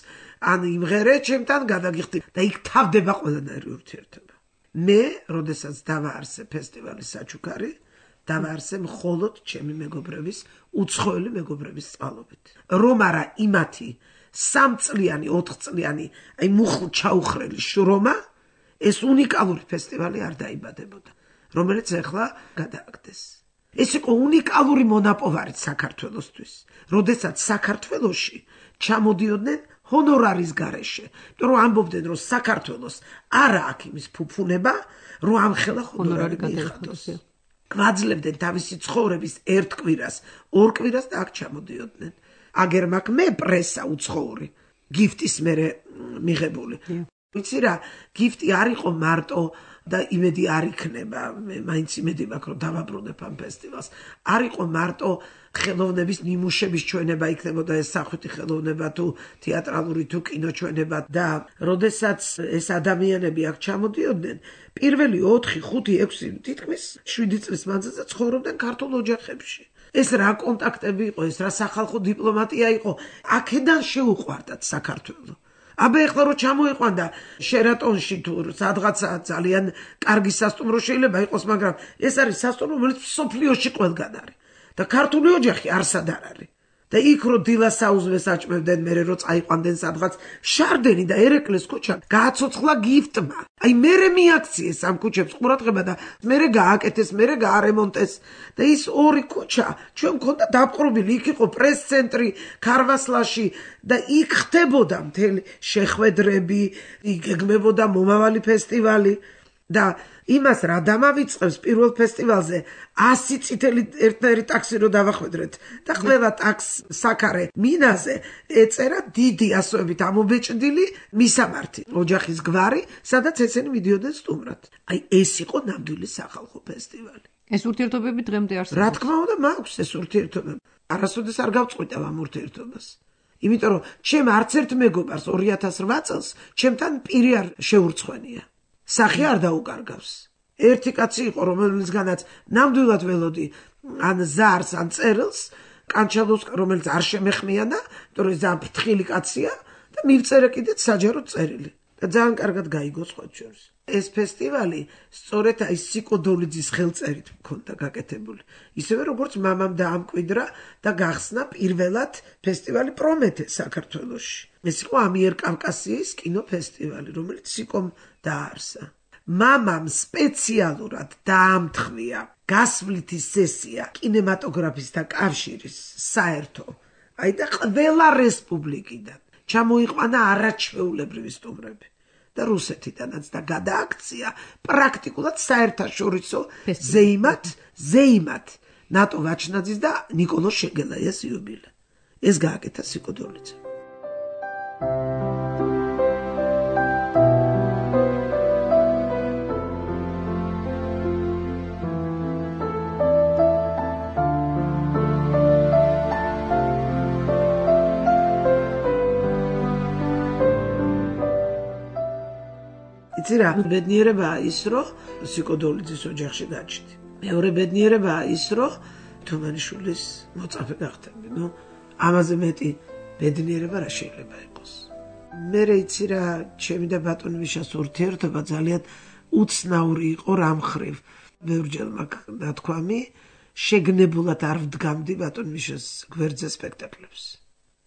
ან იმღერე ჩემთან გადაგიხდი და იქ თავდება ყველანაირი ურთიერთობა. მე, როდესაც დავაარსე ფესტივალი საჩუქარი, დავაარსე მხოლოდ ჩემი მეგობრების, უცხოელი მეგობრების წყალობით. რომ არა იმათი 3 წლიანი, 4 წლიანი, აი მუხლ ჩაუხრელი შრომა, ეს უნიკალური ფესტივალი არ დაიბადებოდა, რომელიც ახლა გადააგდეს. ეს იყო უნიკალური მონაპოვარი საქართველოსთვის, როდესაც საქართველოში ჩამოდიოდნენ ჰონორარის გარეშე, იმიტომ რომ ამბობდნენ, რომ საქართველოს არა აქვს იმის ფუფუნება, რომ ამ ხელა ჰონორარი მიიღოს. გვაძლევდნენ თავისი ცხოვრების ერთ კვირას, ორ კვირას და აქ ჩამოდიოდნენ. აგერ მაგ მე პრესა უცხოური გიფტის მერე მიღებული. ვიცი რა, გიფტი არ იყო მარტო და იმედი არ იქნება, მე მაინც იმედი მაქვს რომ დავაბრუნებ ამ ფესტივალს. არ იყო მარტო ხელოვნების ნიმუშების ჩვენება იქნებოდა ეს სახვითი ხელოვნება თუ თეატრალური თუ კინოჩვენება და როდესაც ეს ადამიანები აქ ჩამოდიოდნენ, პირველი 4, 5, 6, თითქმის 7 წლის მანძილზე ცხოვრობდნენ ქართულ ოჯახებში. ეს რა კონტაქტები იყო, ეს რა სახალხო დიპლომატია იყო, აქედან შეუყვარდათ საქართველო. აბა ეხლა რო ჩამოიყვანდა შერატონში თუ სადღაცა ძალიან კარგი სასტუმრო შეიძლება იყოს, მაგრამ ეს არის სასტუმრო, რომელიც სოფლიოში ყველგან არის და ქართული ოჯახი არსად არ არის. და იქ რო დილას საუზმეს აჭმევდნენ, მერე რო წაიყვანდნენ სადღაც შარდენი და ერეკლეს ქუჩა გააცოცხლა გიფტმა. აი მერე მიაქციეს ამ ქუჩებს ყურადღება და მერე გააკეთეს, მერე გაარემონტეს და ის ორი ქუჩა ჩვენ მქონდა დაპყრობილი, იქ იყო პრეს-ცენტრი ქარვასლაში და იქ ხდებოდა მთელი შეხვედრები, იქ ეგმებოდა მომავალი ფესტივალი. და იმას რა დამავიწყებს პირველ ფესტივალზე 100 წითელი ერთნაირი ტაქსი რო დავახვედრეთ და ყველა ტაქსს საქარე მინაზე ეწერა დიდი ასოებით ამობეჭდილი მისამართი ოჯახის გვარი, სადაც ესენი მიდიოდნენ სტუმრად. აი ეს იყო ნამდვილი სახალხო ფესტივალი. ეს ურთიერთობები დღემდე არსებობს. რა თქმა უნდა, მაქვს ეს ურთიერთობები. არასოდეს არ გავწყვიტავ ამ ურთიერთობას. იმიტომ რომ ჩემ არც ერთ მეგობარს 2008 წელს ჩემთან პირი არ შეურცხვენია. სახე არ დაუკარგავს. ერთი კაცი იყო, რომელიცგანაც ნამდვილად ველოდი ან ზარს, ან წერილს, კანჩალოს, რომელიც არ შემეხმიანა, იმიტომ რომ ძალიან ფრთხილი კაცია და მივწერე კიდეც საჯარო წერილი. და ძალიან კარგად გაიგო სხვა შორის. ეს ფესტივალი სწორედ აი სიკო დოლიძის ხელწერით მქონდა გაკეთებული. ისევე როგორც მამამ დაამკვიდრა და გახსნა პირველად ფესტივალი პრომეთე საქართველოში. ეს იყო ამიერკავკასიის კინოფესტივალი, რომელიც სიკომ დააარსა. მამამ სპეციალურად დაამთხვია გასვლითი სესია კინემატოგრაფისტთა კავშირის საერთო. აი და ყველა რესპუბლიკიდან ჩამოიყვანა არაჩვეულებრივი სტუმრები. და რუსეთიდანაც და გადააქცია პრაქტიკულად საერთაშორისო ზეიმად ნატო ვაჩნაძის და ნიკოლოზ შეგელაიას იუბილე. ეს გააკეთა სიკო დოლიძემ. იცი რა, ბედნიერებაა ის, რომ სიკო დოლიძის ოჯახში გაჩნდი. მეორე ბედნიერებაა ის, რომ თუმანიშვილის მოწაფე გახდები. ამაზე მეტი ბედნიერება რა შეიძლება იყოს. მე იცი რა, ჩემი და ბატონ მიშას ურთიერთობა ძალიან უცნაური იყო რამ ხრივ. ბევრჯერ მაქვს ნათქვამი, შეგნებულად არ ვდგამდი ბატონ მიშას გვერდზე სპექტაკლებს.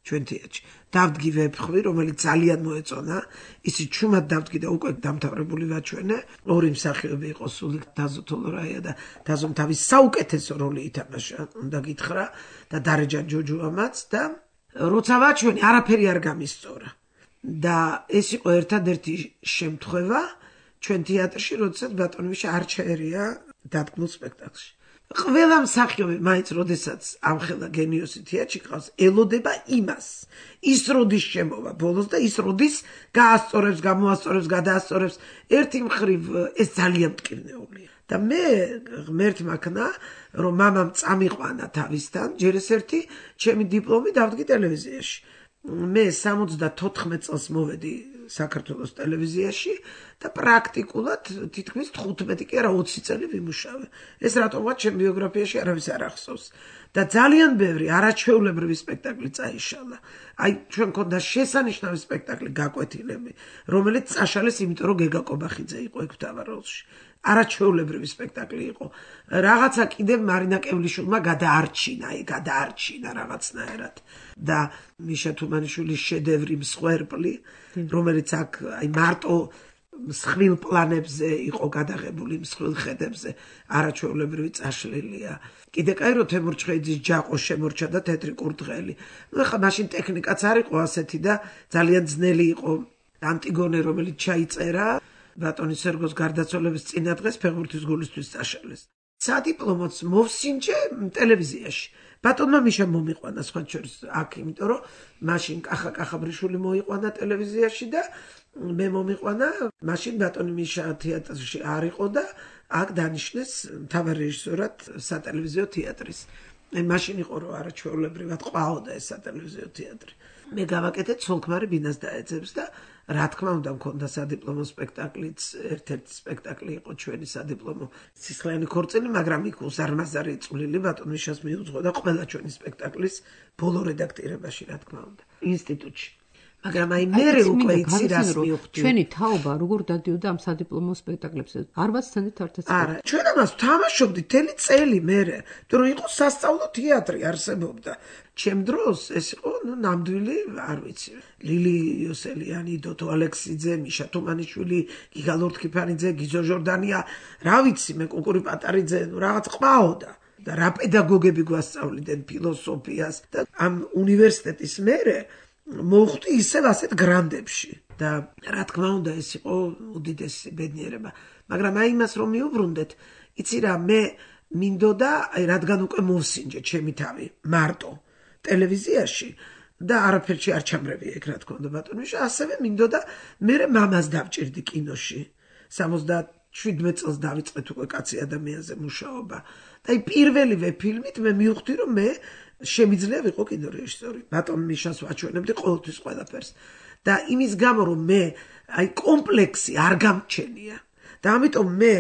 ჩვენ თეატრში დავდგი ვეფხვი, რომელიც ძალიან მოეწონა, ისი ჩუმად დავდგი და უკვე დამთავრებული ვაჩვენე. ორი მსახიობი იყო სულიკ დაზო თოლორაია და დაზომ თავის საუკეთესო როლი ითამაშა, უნდა გითხრა და დარეჯა ჯოჯუამაც და როცა ვაჩვენე, არაფერი არ გამისწორა. და ეს იყო ერთადერთი შემთხვევა ჩვენ თეატრში, როდესაც ბატონ მიშა არ ჩაერია დადგმულ სპექტაკლში. ყველა მსახიობი მაინც როდესაც ამხელა გენიოსი თეატრში ყავს, ელოდება იმას. ის როდის შემოვა ბოლოს და ის როდის გაასწორებს, გამოასწორებს, გადაასწორებს. ერთი მხრივ ეს ძალიან მტკივნეულია. და მე ღმერთმა ქნა, რომ მამამ წამიყვანა თავისთან, ჯერ ეს ერთი ჩემი დიპლომი დავდგი ტელევიზიაში. მე 74 წელს მოვედი საქართველოს ტელევიზიაში და პრაქტიკულად თითქმის 15 კი არა 20 წელი ვიმუშავე. ეს რატომღაც ჩემ ბიოგრაფიაში არავის არ ახსოვს. და ძალიან ბევრი არაჩვეულებრივი სპექტაკლი წაიშალა. აი ჩვენ მქონდა შესანიშნავი სპექტაკლი გაკვეთილები, რომელიც წაშალეს იმიტომ რომ გეგა კობახიძე იყო ეგ მთავარ როლში. არაჩვეულებრივი სპექტაკლი იყო. რაღაცა კიდევ მარინა კევლიშვილმა გადაარჩინა რაღაცნაირად. და მიშა თუმანიშვილის შედევრი მსხვერპლი, რომელიც აქ აი მარტო მსხვილ პლანებზე იყო გადაღებული, მსხვილ ხედებზე, არაჩვეულებრივი წაშლილია. კიდე კაი რომ თემურ ჩხეიძის ჯაყო შემორჩა და თეთრი კურდღელი. ეხლა მაშინ ტექნიკაც არ იყო ასეთი და ძალიან ძნელი იყო ანტიგონე, რომელიც ჩაიწერა ბატონი სერგოს გარდაცვალების წინა დღეს ფეხბურთის გულისთვის წაშალეს. სადიპლომოც მოვსინჯე ტელევიზიაში. ბატონმა მიშა მომიყვანა სხვა შორის აქ, იმიტომ რომ მაშინ კახა კახაბრიშვილი მოიყვანა ტელევიზიაში და მე მომიყვანა, მაშინ ბატონი მიშა თეატრში არ იყო და აქ დანიშნეს მთავარ რეჟისორად სატელევიზიო თეატრის. მაშინ იყო რომ არაჩვეულებრივად ყვაოდა ეს სატელევიზიო თეატრი. მე გავაკეთე ცოლქმარი ბინას დაეძებს და რა თქმა უნდა მქონდა სადიპლომო სპექტაკლიც, ერთ-ერთი სპექტაკლი იყო ჩვენი სადიპლომო სისხლიანი ქორწილი, მაგრამ იქ უზარმაზარი წვლილი ბატონ მიშას მიუძღვა და ყველა ჩვენი სპექტაკლის ბოლო რედაქტირებაში, რა თქმა უნდა, ინსტიტუტში. მაგრამ აი მერე უკვე იცი რას მივხვდი. ჩვენი თაობა როგორ დადიოდა ამ სადიპლომო სპექტაკლებზე? არ ვაცდენით ერთად. არა, ჩვენ ამას თამაშობდით თელი წელი მერე, თუ რომ იყო სასწავლო თეატრი არსებობდა. ჩემ დროს ეს იყო ნამდვილი, არ ვიცი, ლილი იოსელიანი, დოტო ალექსიძე, მიშა თუმანიშვილი, გიგა ლორთქიფანიძე, გიზო ჟორდანია, რა ვიცი, მე კუკური პატარიძე, რაღაც ყვაოდა. და რა პედაგოგები გვასწავლიდნენ ფილოსოფიას და ამ უნივერსიტეტის მერე მოვხვდი ისევ ასეთ გრანდებში. და რა თქმა უნდა ეს იყო უდიდესი ბედნიერება. მაგრამ აი იმას რომ მიუბრუნდეთ, იცი რა, მე მინდოდა, რადგან უკვე მოვსინჯე ჩემი თავი მარტო ტელევიზიაში და არაფერში არ ჩამრევია ეგ რა თქმა უნდა ბატონიშა, ასევე მინდოდა მე მამას დავჭირდი კინოში. 77 წელს დავიწყეთ უკვე კაცი ადამიანზე მუშაობა. და აი პირველივე ფილმით მე მივხვდი რომ მე შემიძლია ვიყო კინორეჟისორი. ბატონ მიშას ვაჩვენებდი ყოველთვის ყველაფერს. და იმის გამო რომ მე აი კომპლექსი არ გამჩენია. და ამიტომ მე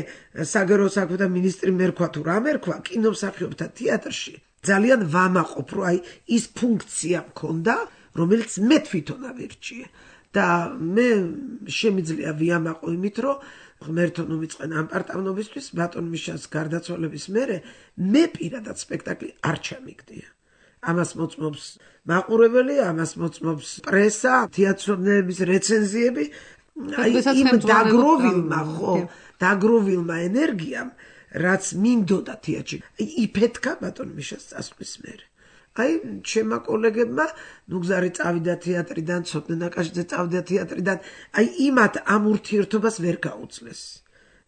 საგარეო საქმეთა მინისტრი მერქვა თუ რა მერქვა კინომსახიობთა თეატრში ძალიან ვამაყობ რომ აი ის ფუნქცია მქონდა რომელიც მე თვითონ ავირჩიე და მე შემიძლია ვიამაყო იმით რომ ღმერთო ნუ მიწყენა ამ პარტავნობისთვის ბატონ მიშას გარდაცვალების მერე მე პირადად სპექტაკლი არ ჩამიგდია ამას მოწმობს მაყურებელი ამას მოწმობს პრესა თეატრონების რეცენზიები აი იმ დაგროვილმა ენერგიამ რაც მინდოდა თეატრში იფეთქა ბატონ მიშას წასვლის მერე აი ჩემმა კოლეგებმა ნუ გზარი წავიდა თეატრიდან ცოტნე ნაკაშიძე წავიდა თეატრიდან აი იმათ ამ ურთიერთობას ვერ გაუძლეს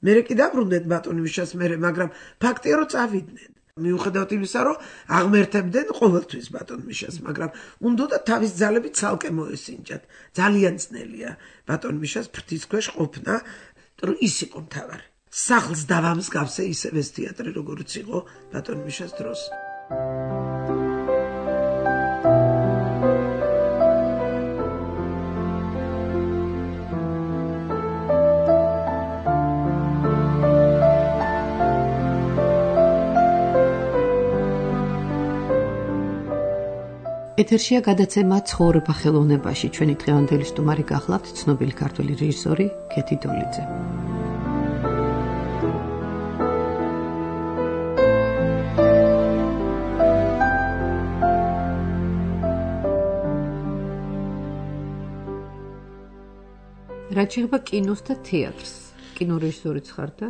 მერე კი დაბრუნდნენ ბატონ მიშას მერე მაგრამ ფაქტია რომ წავიდნენ მიუხედავად იმისა რომ აღმერთებდნენ ყოველთვის ბატონ მიშას მაგრამ უნდოდა თავის ძალები ცალკე მოესინჯათ ძალიან ძნელია ბატონ მიშას ფრთის ქვეშ ყოფნა რომ ის იყო მთავარი სახლს დავამსგავსე ისევ ეს თეატრი როგორც იყო ბატონ მიშას დროს ეთერშია გადაცემა ცხოვრება ხელოვნებაში. ჩვენი დღევანდელი სტუმარი გახლავთ ცნობილი ქართველი რეჟისორი ქეთი დოლიძე. რაც შეეხება კინოს და თეატრს. კინორეჟისორიც ხარ და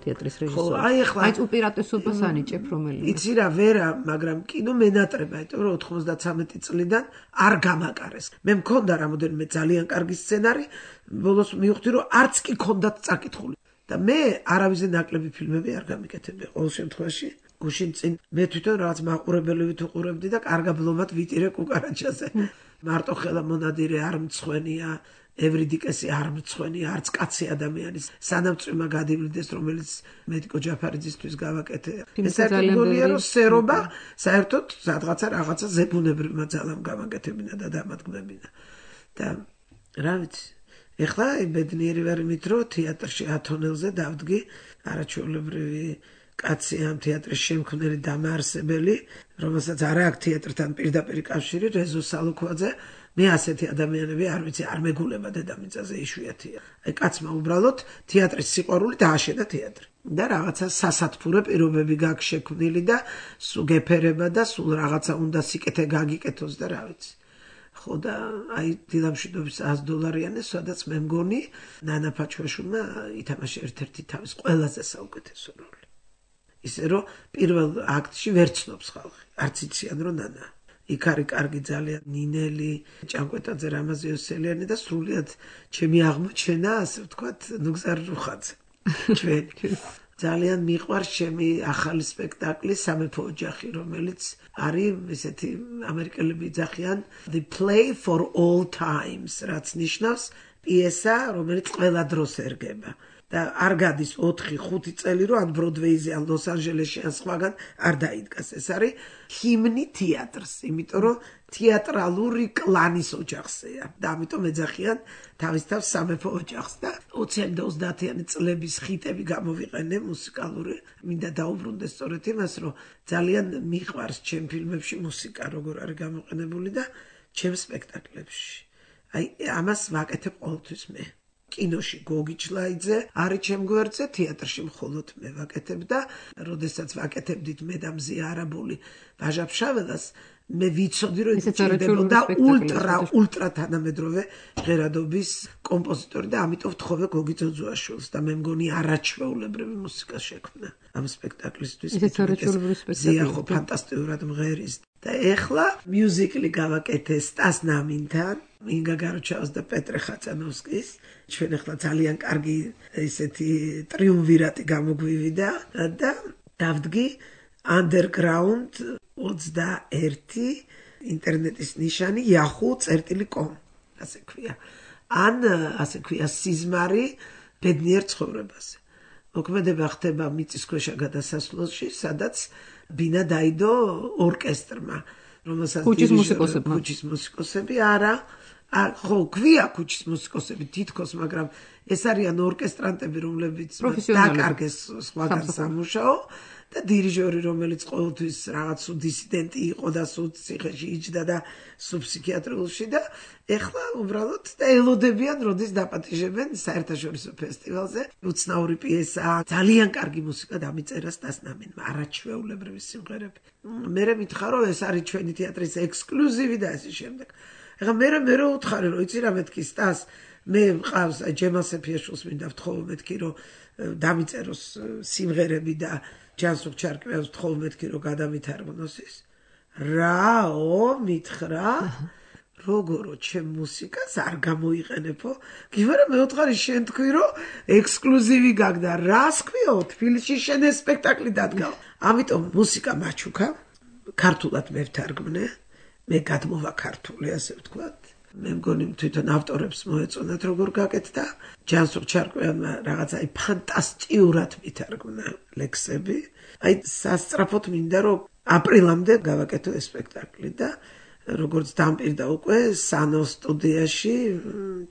თეატრის რეჟისორი. აი უპირატესობას ანიჭებ რომელიც. იცი რა ვერა, მაგრამ კინო მენატრება, იმიტომ რომ 93 წლიდან არ გამაკარეს. მე მქონდა რამოდენიმე ძალიან კარგი სცენარი, ბოლოს მივხვდი რომ არც კი ქონდათ წაკითხული. და მე არავიზე ნაკლები ფილმები არ გამიკეთებია ყოველ შემთხვევაში. გუშინ წინ მე თვითონ რაღაც მაყურებელივით უყურებდი და კარგად ბლომად ვიტირე კუკარაჩაზე. მარტო ხელა მონადირე არ მცხვენია. ევრიდიკესი არ მცხვენია, არც კაცი ადამიანის სანამწვიმა გადივლიდეს, რომელიც მედიკო ჯაფარიძისთვის გავაკეთე. ეს ერთგონია რომ სერობა საერთოდ რაღაცა ზებუნებრივმა ძალამ გამაკეთებინა და დამადგმებინა. და რა ვიცი, ეხლა ბედნიერი ვარ იმით, რომ თეატრში ათონელზე დავდგი არაჩვეულებრივი კაცი ამ თეატრის შემქმნელი დამაარსებელი, რომელსაც არ აქვს თეატრთან პირდაპირ კავშირი, რეზო სალუქვაძე მე ასეთი ადამიანები არ ვიცი არ მეგულება დედამიწაზე იშვიათია. აი კაცმა უბრალოდ თეატრის სიყვარული დააშენა თეატრი. და რაღაცა სასათფურე პირობები გაქვს შექმნილი და სულ გეფერება და სულ რაღაცა უნდა სიკეთე გაგიკეთოს და რა ვიცი. ხო და აი დილამშვიდობის $100 სადაც მე მგონი ნანა ფაჩვაშვილმა ითამაშა ერთ-ერთი თავის ყველაზე საუკეთესო როლი. ისე რომ პირველ აქტში ვერ ცნობს ხალხი. არც იციან რომ ნანა იქ არის კარგი ძალიან ნინელი, ჭანკვეტაძე, რამაზიოსელიანი და სრულიად ჩემი აღმოჩენა, ასე ვთქვათ, ნუგზარ რუხაძე. ჩვენი. ძალიან მიყვარს ჩემი ახალი სპექტაკლი სამეფო ოჯახი, რომელიც არის ესეთი ამერიკელები იძახიან The Play for All Times, რაც ნიშნავს პიესა, რომელიც ყველა დროს ერგება. და არ გადის 4-5 წელი რომ ან ბროდვეიზე ან ლოს-ანჯელესში ან სხვაგან არ დაიდგას. ეს არის ჰიმნი თეატრს, იმიტომ რომ თეატრალური კლანის ოჯახზეა და ამიტომ ეძახიან თავის თავს სამეფო ოჯახს და 20-იანი და 30-იანი წლების ხიტები გამოვიყენე მუსიკალური. მინდა დაუბრუნდე სწორედ იმას, რომ ძალიან მიყვარს ჩემ ფილმებში მუსიკა, როგორ არის გამოყენებული და ჩემ სპექტაკლებში. აი ამას ვაკეთებ ყოველთვის მე. კინოში გოგი ჩლაიძე არის ჩემ გვერდზე, თეატრში მხოლოდ მე ვაკეთებ და როდესაც ვაკეთებდით მე და მზია არაბული ვაჟა ფშაველას, მე ვიცოდი რომ ჭირდებოდა ультра თანამედროვე ჟღერადობის კომპოზიტორი და ამიტომ ვთხოვე გოგი ძოძუაშვილს და მე მგონი არაჩვეულებრივი მუსიკა შექმნა ამ სპექტაკლისთვის. ზიახო ფანტასტიკურად მღერის და ეხლა მიუზიკლი გავაკეთე სტას ნამინთან, ინგა გაროჩაოს და პეტრე ხაცანოვსკის. ჩვენ ახლა ძალიან კარგი ესეთი ტრიუმვირატი გამოგვივიდა და დავდგი underground 21 ინტერნეტის ნიშანი yahoo.com ასე ქვია. ან ასე ქვია სიზმარი ბედნიერ ცხოვრებაზე. მოქმედება ხდება მიწისქვეშა გადასასვლელში, სადაც ბინა დაიდო ორკესტრმა, რომელსაც ქუჩის მუსიკოსები არა, ხო, ქვია ქუჩის მუსიკოსები თითქოს, მაგრამ ეს არიან ორკესტრანტები, რომლებიც დაკარგეს სხვაგან სამუშაო და დირიჟორი, რომელიც ყოველთვის რაღაც დისიდენტი იყო და ციხეში იჯდა და ფსიქიატრიულში და ეხლა უბრალოდ და ელოდებიან, როდის დაპატიჟებენ საერთაშორისო ფესტივალზე. უცნაური პიესაა, ძალიან კარგი მუსიკა დამიწერა სტას ნამინმა, არაჩვეულებრივი სიმღერები. მე მითხარო, ეს არის ჩვენი თეატრის ექსკლუზივი და ასე შემდეგ. ეხლა მე უთხარი, რომ იცი რა მეთქი სტას, მე მყავს ჯემალ სეფიაშვილს მინდა ვთხოვო მეთქი, რომ დამიწეროს სიმღერები და ჯანსუღ ჩარკვეავს ვთხოვო მეთქი, რომ გადამითარგმნოს ის. რაო მითხრა, როგორო ჩემ მუსიკას არ გამოიყენებო? გივარა მე ვთქვი შენ თქვი, რომ ექსკლუზივი გაგდა. რას ქვიო? თბილისში შენ ეს სპექტაკლი დადგა. ამიტომ მუსიკა მაჩუქა, ქართულად მე ვთარგმნე. მე გადმოვა ქართული, ასე ვთქვათ. მე მგონი თვითონ ავტორებს მოეწონათ როგორ გაკეთდა. ჯანსუღ ჩარკვიანმა რაღაცა ფანტასტიკურად მითარგმნა ლექსები. აი სასწრაფოდ მინდა რომ აპრილამდე გავაკეთო ეს სპექტაკლი და როგორც დამპირდა უკვე სანო სტუდიაში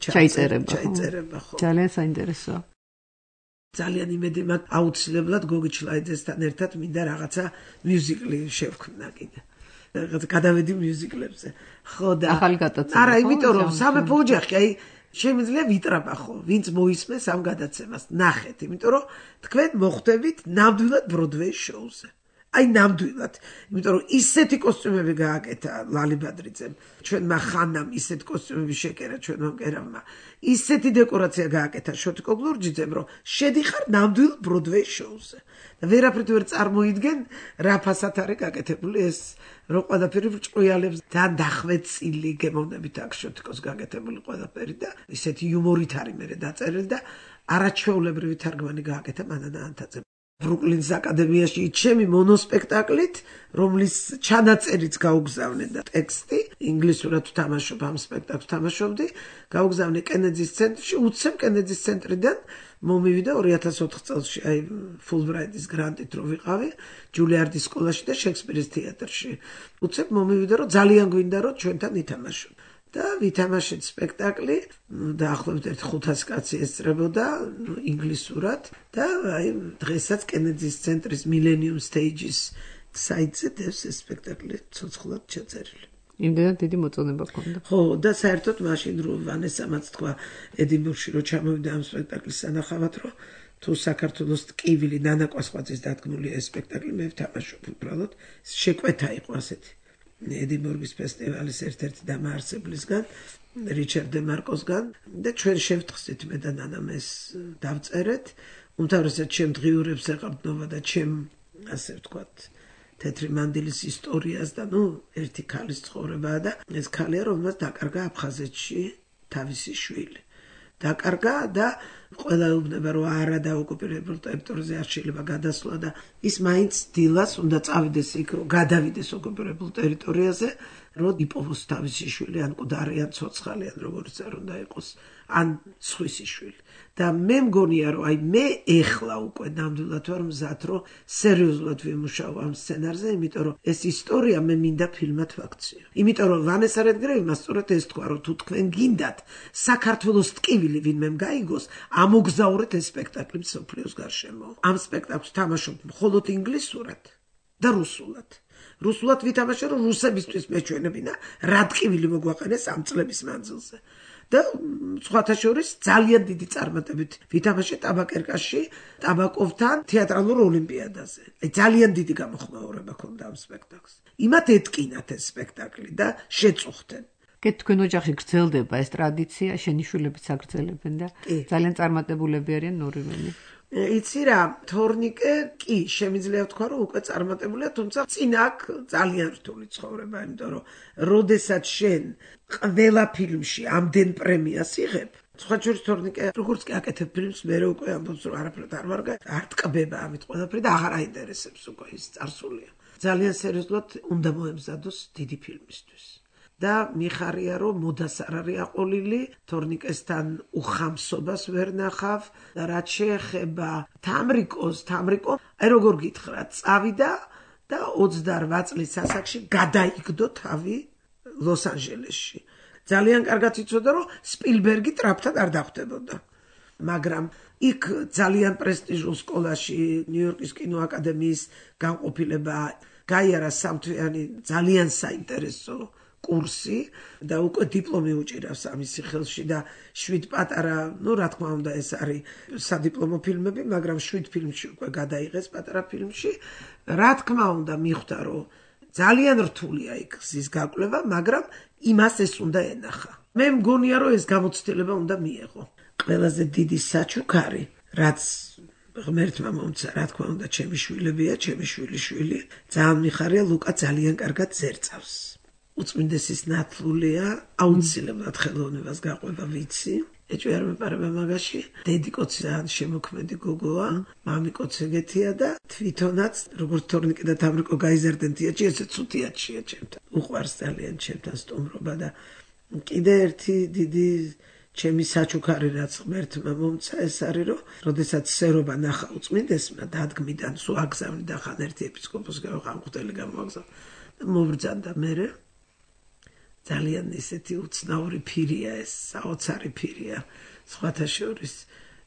ჩაიწერება ხო. ძალიან საინტერესოა. ძალიან იმედი მაქვს აუცილებლად გოგი ჩლაიძესთან ერთად მინდა რაღაცა მიუზიკლი შევქმნა კიდე. გადავედი მიუზიკლებზე. ხო და ახალი გადაცემა. არა, იმიტომ რომ სამეფო ოჯახი, აი შემიძლია ვიტრაბა ხო, ვინც მოისმენს ამ გადაცემას. ნახეთ, იმიტომ რომ თქვენ მოხვდებით ნამდვილად ბროდვეის შოუზე. აი ნამდვილად, იმიტომ რომ ისეთი კოსტიუმები გააკეთა ლალი ბადრიძემ, ჩვენმა ხანამ ისეთი კოსტიუმები შეკერა ჩვენმა მკერავმა. ისეთი დეკორაცია გააკეთა შოტიკო გლურჯიძემ, რომ შედიხარ ნამდვილ ბროდვეის შოუზე. და ვერაფრით ვერ წარმოიდგენ რა ფასად არის გაკეთებული ეს, რომ ყველაფერი ბრჭყვიალებს და დახვეწილი გემოვნებით აქვს შოტიკოს გაკეთებული ყველაფერი და ისეთი იუმორით არის მე დაწერილი და არაჩვეულებრივი თარგმანი გააკეთა მანანა ანთაძემ. ბრუკლინს აკადემიაში ჩემი მონოსპექტაკლით, რომლის ჩანაწერიც გაუგზავნე და ტექსტი, ინგლისურად ვთამაშობ ამ სპექტაკლს თამაშობდი, გაუგზავნე კენედის ცენტრში, უცებ კენედის ცენტრიდან მომივიდა 2004 წელს აი ფულბრაიტის გრანტით რო ვიყავი, ჯულიარდის სკოლაში და შექსპირის თეატრში. უცებ მომივიდა რომ ძალიან გვინდა რომ ჩვენთან ითამაშო. და ვითამაშეთ სპექტაკლი, დაახლოებით 500 კაცი ესწრებოდა ინგლისურად და აი დღესაც კენედის ცენტრის Millennium Stages საიტზე დევს ეს სპექტაკლი ცოცხლად ჩაწერილი. იმდენად დიდი მოწონება ჰქონდა. ხო, და საერთოდ მაშინ რო ვანესამაც თქვა ედინბურგში რო ჩამოვიდა ამ სპექტაკლის სანახავად, რომ თუ საქართველოს ტკივილი ნანა კვასხვაძის დადგმული ეს სპექტაკლი მე ვთამაშობ უბრალოდ, შეკვეთა იყო ასეთი. ედინბურგის ფესტივალის ერთ-ერთი დამაარსებლისგან, რიჩარდ დე მარკოსგან და ჩვენ შევთხსით მე და ნანამ ეს დავწერეთ. უმთავრესად ჩემ დღიურებს ეყრდნობა და ჩემ ასე ვთქვათ თეთრი მანდილის ისტორიას და ერთი ქალის ცხოვრებაა და ეს ქალია, რომელსაც დაკარგა აფხაზეთში თავისი შვილი. დაკარგა და ყველა უბნება რომ არა დაოკუპირებულ ტერიტორიაზე არ შეიძლება გადასვლა და ის მაინც დილას უნდა წავიდეს იქ რომ გადავიდეს ოკუპირებულ ტერიტორიაზე რომ იპოვოს თავისი შვილი ან მკვდარი ან ცოცხალი ან როგორც არ უნდა იყოს ან სხვისი შვილი და მე მგონია რომ აი მე ეხლა უკვე ნამდვილად ვარ მზად რომ სერიოზულად ვიმუშაო ამ სცენარზე, იმიტომ რომ ეს ისტორია მე მინდა ფილმად ვაქციო. იმიტომ რომ ვანესა რედგრევმა სწორედ ეს თქვა რომ თუ თქვენ გინდათ საქართველოს ტკივილი ვინმე გაიგოს, ამოგზაურეთ ეს სპექტაკლი მსოფლიოს გარშემო. ამ სპექტაკლს თამაშობ მხოლოდ ინგლისურად და რუსულად. რუსულად ვითამაშე რომ რუსებისთვის მეჩვენებინა რა ტკივილი მოგვაყენეს ამ წლების მანძილზე. და სხვათა შორის ძალიან დიდი წარმატებით ვითამაშე ტაბაკერკაში ტაბაკოვთან თეატრალურ ოლიმპიადაზე. ძალიან დიდი გამოხმაურება ჰქონდა ამ სპექტაკლს. იმათ ეთკინათ ეს სპექტაკლი და შეწუხდნენ. თქვენ ოჯახში გრძელდება ეს ტრადიცია, შენიშვნებიც აგრძელებენ და ძალიან წარმატებულები არიან ორივენი. იცი რა, თორნიკე კი შემიძლია ვთქვა, რომ უკვე წარმატებულია, თუმცა წინ აქ ძალიან რთული ცხოვრება, იმიტომ რომ როდესაც შენ ყველა ფილმში ამდენ პრემიას იღებ, სხვა შორის თორნიკე როგორც კი აკეთებ ფილმს, მე უკვე ამბობს რომ არაფრად არ ვარ, არ ტკბება ამით ყველაფერი და აღარ აინტერესებს უკვე ის წარსულია. ძალიან სერიოზულად უნდა მოემზადოს დიდი ფილმისთვის. და მიხარია რომ მოდას არ არის აყოლილი, თორნიკესთან უხამსობას ვერ ნახავ და რაც შეეხება თამრიკო, აი როგორ გითხრა, წავიდა და 28 წლის ასაკში გადაიგდო თავი ლოს-ანჯელესში. ძალიან კარგად იცოდა რომ სპილბერგი ტრაპთან არ დახვდებოდა. მაგრამ იქ ძალიან პრესტიჟულ სკოლაში, ნიუ-იორკის კინოაკადემიის განყოფილება გაიარა სამთვიანი ძალიან საინტერესო კურსი და უკვე დიპლომი უჭირავს ამისი ხელში და 7 პატარა, რა თქმა უნდა ეს არის სადიპლომო ფილმები, მაგრამ 7 ფილმში უკვე გადაიღეს პატარა ფილმში. რა თქმა უნდა მიხვდა რომ ძალიან რთულია იქ გზის გაკვლევა, მაგრამ იმას ეს უნდა ენახა. მე მგონია რომ ეს გამოცდილება უნდა მიეღო. ყველაზე დიდი საჩუქარი, რაც ღმერთმა მომცა, რა თქმა უნდა, ჩემი შვილებია, ჩემი შვილიშვილი. ძალიან მიხარია, ლუკა ძალიან კარგად ზერწავს. უწმინდესის ნათლულია, აუცილებლად ხელოვნებას გაყვება ვიცი. ეჭვი არ მეპარება მაგაში. დედიკოც ძალიან შემოქმედი გოგოა, მამიკოც ეგეთია და თვითონაც როგორც თორნიკე და თამრიკო გაიზარდნენ თეატრში, ესე ცუდიათშია ჩემთან. უყვარს ძალიან ჩემთან სტუმრობა და კიდე ერთი დიდი ჩემი საჩუქარი რაც ღმერთმა მომცა ეს არის რომ როდესაც სერობა ნახა უწმინდესმა დადგმიდან სულ აგზავნი და ხან ერთი ეპისკოპოსი გამოვხდელი გამოგზავნა და მოვბრძანდა მერე ძალიან ისეთი უცნაური ფირია ეს საოცარი ფირია სხვათა შორის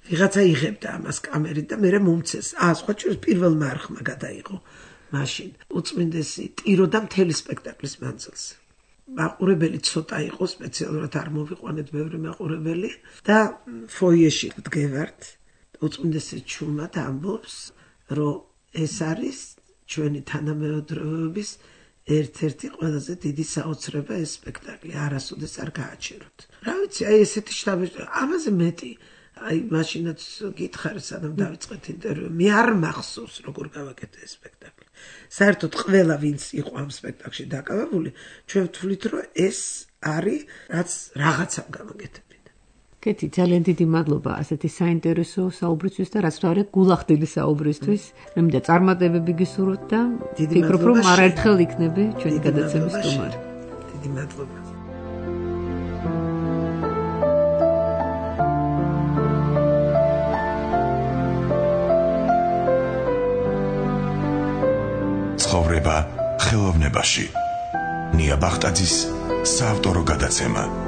ვიღაცა იღებდა ამას კამერით და მერე მომცეს სხვა შორის პირველმა არხმა გადაიღო მაშინ უწმინდესი ტიროდა მთელი სპექტაკლის მანძილზე მაყურებელი ცოტა იყო სპეციალურად არ მოვიყვანეთ ბევრი მაყურებელი და ფოიეში ვდგევართ უწმინდესი ჩუმად ამბობს რომ ეს არის ჩვენი თანამედროვეობის ერთ-ერთი ყველაზე დიდი საოცრება ეს სპექტაკლი არასოდეს არ გააჩეროთ რა ვიცი აი ესეთი შტაბი ამაზე მეტი აი მაშინაც გითხარ სანამ დავიწყეთ ინტერვიუ მე არ მახსოვს როგორ გავაკეთე ეს სპექტაკლი საერთოდ ყველა ვინც იყო ამ სპექტაკლში დაკავებული ჩვენ ვთვლით რომ ეს არის რაც რაღაცამ გამოგეთებინა კეთი ძალიან დიდი მადლობა ასეთი საინტერესო საუბრისთვის და რაც თავი გულახდილი საუბრისთვის მე მინდა წარმატებები გისურვოთ და ვფიქრობ რომ არაერთხელ იქნები ჩვენი გადაცემის სტუმარი დიდი მადლობა ცხოვრება ხელოვნებაში. ნია ბახტაძის საავტორო გადაცემა.